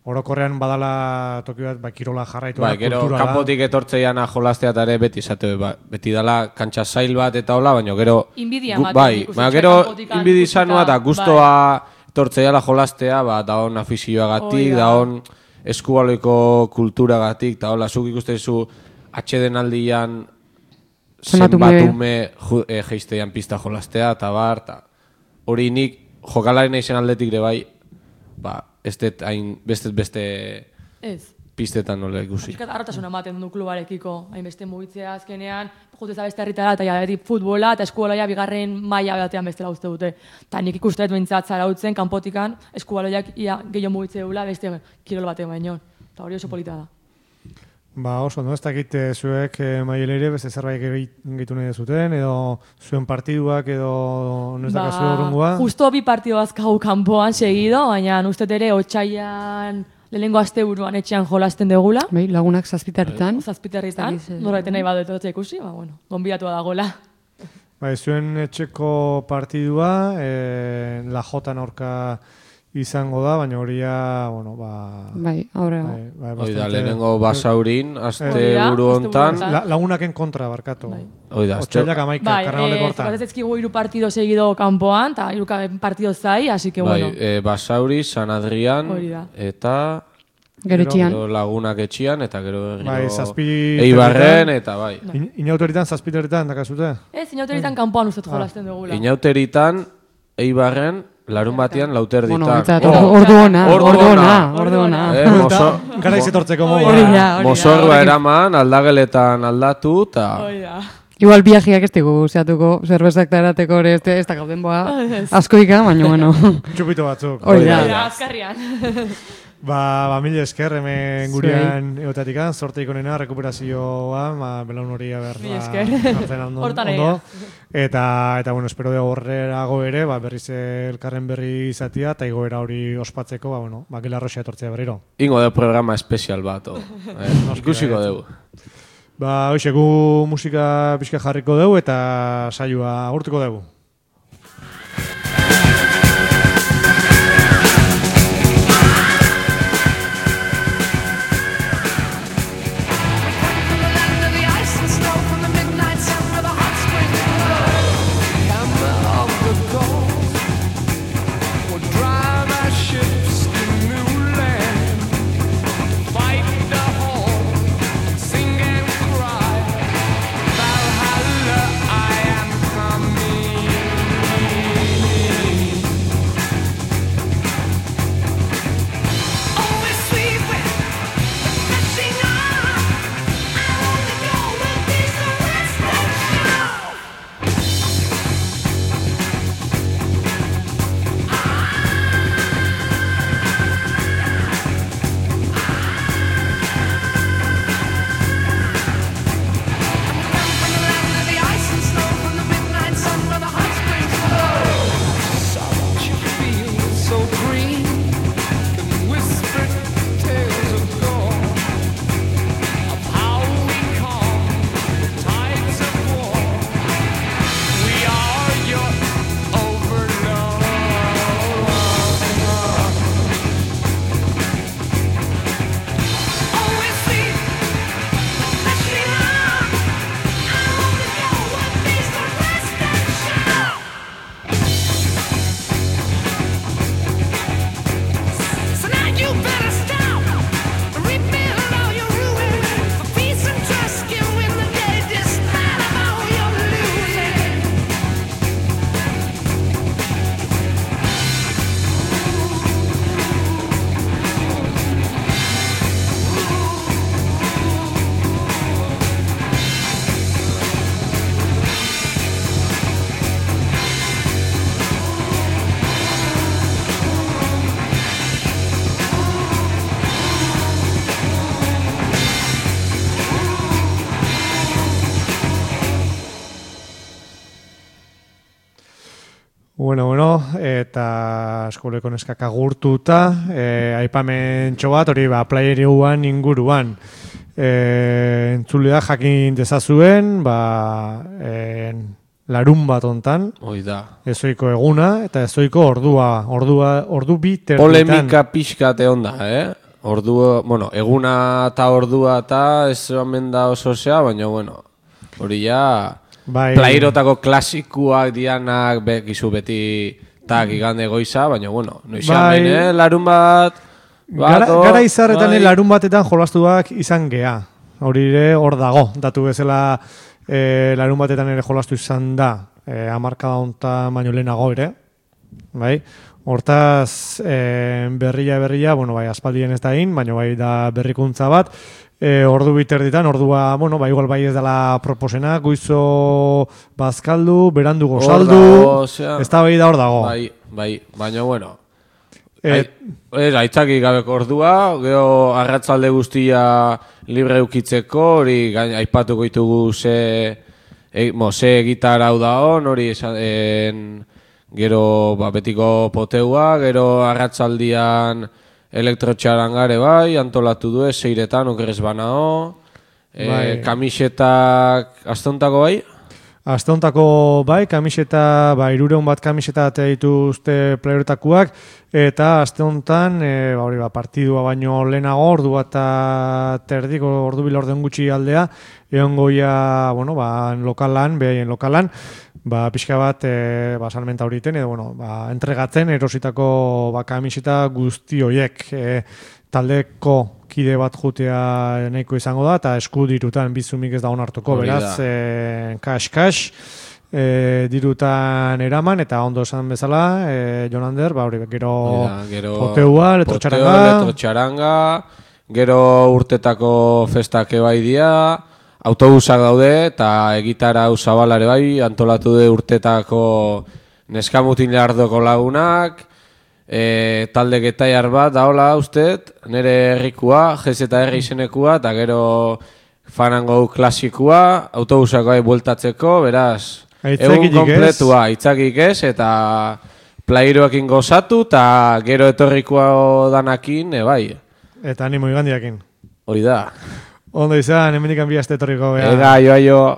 orokorrean badala toki bat, ba, kirola jarraitu Ba, da, gero, kultura da. kanpotik etortzeiana jolastea eta ere beti esate, ba, beti dala kantxa zail bat eta hola, baina gero... Inbidia gu- ematen Bai, ikusten, baina txai gero kanpotikan inbidi ikusita, izanua eta bai. guztoa etortzeiala jolastea, ba, daon afizioagatik, Hoi da. daon eskubaloiko kulturagatik, eta hola, zuk ikustezu atxedenaldian Zenbat ume. zenbat ume ju- eh, jeizteian pista jolastea, eta bar, eta hori nik jokalari naizen aldetik ere bai, ba, ez dut hain beste beste Ez. pistetan nola ikusi. Piskat harrotasuna ematen du klubarekiko, hainbeste mugitzea azkenean, juteza beste herritara, eta ja, beti futbola eta eskubaloia bigarren maila batean bestela uste dute. Eta nik ikusteet behintzat zarautzen, kanpotikan, eskubaloiak ia gehiago mugitze dula beste kirol batean baino. Eta hori oso polita da. Ba, oso, no? Ez dakit eh, zuek eh, maileire beste zerbait gehitu nahi zuten, edo zuen partiduak, edo no ez Ba, dakazu urrungua. justo bi partido azkagu kanpoan segido, baina uste ere otxaian lehenengo asteburuan etxean jolasten degula. Bai, lagunak zazpiterritan. Zazpiterritan, Ez dakit, eh, norbaiten nahi badut etortzea ikusi, ba, bueno, gonbidatua dagoela. Bai, zuen etxeko partidua, eh, la Jotan aurka izango da, baina horia, bueno, ba... Bai, aurrera. Bai, bai, Hoi da, bastante- lehenengo basaurin, aste Hori da, buru aste hontan. buru La, lagunaken kontra, barkatu. Bai. Hoi da, azte- Otsailak amaika, Bai, karnavaleko eh, hortan. jokatzen ezkigu hiru partido seguido kanpoan, eta hiru ka- partido zai, así que Bai, bueno. eh, Basauri, San Adrian, Hori da. eta... Gero etxean. Gero lagunak etxian, eta gero... gero Bai, zazpi... Eibarren, eta bai. In, inautoritan, zazpiterritan, dakazute? Ez, inauteritan kanpoan ustet jolasten dugula. Inauteritan, Eibarren, larun batean, lauterditan. Bueno, betzat, ordu, ordu ona, Ordu ordu ona, ona. ordu ona. Eh, mozo- Garaiz etortzeko modu. Hori da, hori da, Mozorroa hori da. eraman, aldageletan aldatu, eta... Igual biajiak ez digu zeatuko, zerbezak da erateko ere ez, ez da gauden boa askoika, baina bueno. Txupito batzuk. Hori da. Azkarrian. Ba, ba mila esker, hemen Zuei. gurean egotatikan, sorte ikonena, rekuperazioa, ba, belaun hori haber, Mila ba, esker. hartzen ondo, Hortan ondo. egia. Eta, eta, bueno, espero dugu horrerago ere, ba, berriz elkarren berri izatia, eta igoera hori ospatzeko, ba, bueno, ba, gila arroxea etortzea berriro. Ingo de programa espezial bat, o. Eh, ikusiko bai. dugu. Ba, hoxe, gu musika pixka jarriko dugu, eta saioa agurtuko dugu. Bueno, bueno, eta eskoleko neskak agurtuta, eh, aipamen txobat, hori ba, playeriuan inguruan. Eh, entzulea jakin dezazuen, ba, eh, larun bat ontan. Hoi da. Ezoiko eguna, eta ezoiko ordua, ordua, ordu bi terditan. Polemika pixkate onda, eh? ordu, bueno, eguna eta ordua eta ez omen da oso zea, baina, bueno, hori ja, bai, plairotako klasikuak dianak bekizu beti tak igande goiza, baina, bueno, noizan bai, behin, eh, larun bat, Gara, gara izarretan bai, larun batetan jolastuak izan gea. Hori ere hor dago, datu bezala e, larun batetan ere jolastu izan da, e, amarkada hontan baino lehenago ere, bai? Hortaz, e, berria berria, bueno, bai, aspaldien ez da egin, baina bai da berrikuntza bat, e, ordu biterditan, ordua, bueno, bai, igual bai ez dela proposena, goizo bazkaldu, berandu gozaldu, ez da bai da hor dago. Bai, bai, baina, bueno, ez, aitzaki gabeko ordua, geho arratzalde guztia libre eukitzeko, hori aipatuko ditugu ze, e, mo, ze gitar hau da hon, hori esan, gero ba, betiko poteua, gero arratzaldian elektrotxarangare bai, antolatu du ez, seiretan, okerrez banao, e, bai. Kamisetak, astontako bai? Astontako bai, kamiseta, ba, irureun bat kamiseta atea dituzte playertakuak, eta aste hontan, e, ba, hori ba, partidua baino lehenago, ordu bat terdik, ordu bil orden gutxi aldea, egon goia, bueno, ba, lokalan, behaien lokalan, ba, pixka bat, e, ba, salmenta horiten, edo, bueno, ba, entregatzen erositako ba, kamiseta guzti horiek, e, taldeko kide bat jutea nahiko izango da, eta esku dirutan bizumik ez da onartuko, beraz, e, kas-kas, e, dirutan eraman, eta ondo esan bezala, e, Jonander, ba, hori, gero, gero poteua, elektrotxaranga, elektrotxaranga, gero urtetako festak ebai dia, autobusak daude, eta egitara usabalare bai, antolatu de urtetako neskamutin lardoko lagunak, E, talde getaiar bat, daola usted, nire herrikua, G Z R izenekua, eta gero fanango klasikua, autobusako ahi bueltatzeko, beraz, egun kompletua, aitzakik ez, eta plairoekin gozatu, eta gero etorrikoa danakin, e, bai. Eta animo igandiakin. Hori da. Ondo izan, hemenik anbiazte etorriko. Ega, joa, joa.